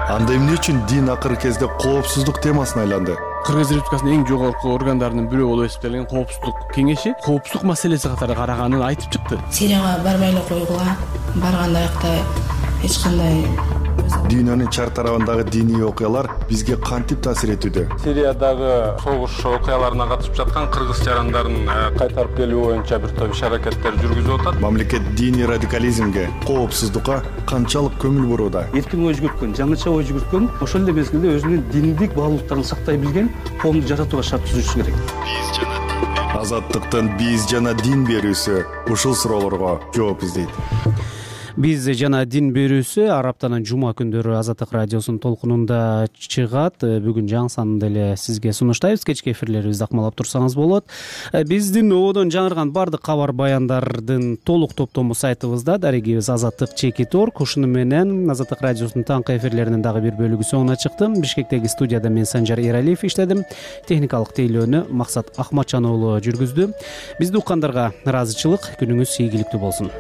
Анда эмне үчүн дин акыркы кезде коопсуздук темасына айланды? Кыргыз Республикасынын эң жогорку органдарынын бирөө болуп эсептелген коопсуздук кеңеши коопсуздук маселеси катары караганын айтып чыкты. Сирияга барбай эле койгула, барганда аякта эч кандай дүйнөнүн чар тарабындагы диний окуялар бизге кантип таасир этүүдө? Сириядагы согуш окуяларына катышып жаткан кыргыз жарандарын кайтарып келүү боюнча бир топ иш-аракеттер жүргүзүп атат. Мамлекет диний радикализмге, коопсуздукка канчалык көңүл бурууда? Эркин ой жүгүрткөн, жаңыча ой жүгүрткөн, ошол эле мезгилде өзүнүн диндик баалуулуктарын сактай билген коомду жаратууга шарт түзүшү керек. Азаттыктын биз жана дин берүүсү ушул суроолорго жооп издейт. биз жана дин берүүсү ар аптанын жума күндөрү Азаттык радиосунун толкунунда чыгат. Бүгүн жаңы санды эле сизге сунуштайбыз. Кечки эфирлерибизди акмалап турсаңыз болот. Биздин ободон жаңырган баардык кабар баяндардын толук топтому сайтыбызда. Дарегибиз азаттык чекит орг. Ушуну менен Азаттык радиосунун таңкы эфирлеринин дагы бир бөлүгү соңуна чыкты. Бишкектеги студияда мен Санжар Эралиев иштедим. Техникалык тейлөөнү Максат Акматжан уулу жүргүздү. Бизди уккандарга ыраазычылык, күнүңүз ийгиликтүү болсун.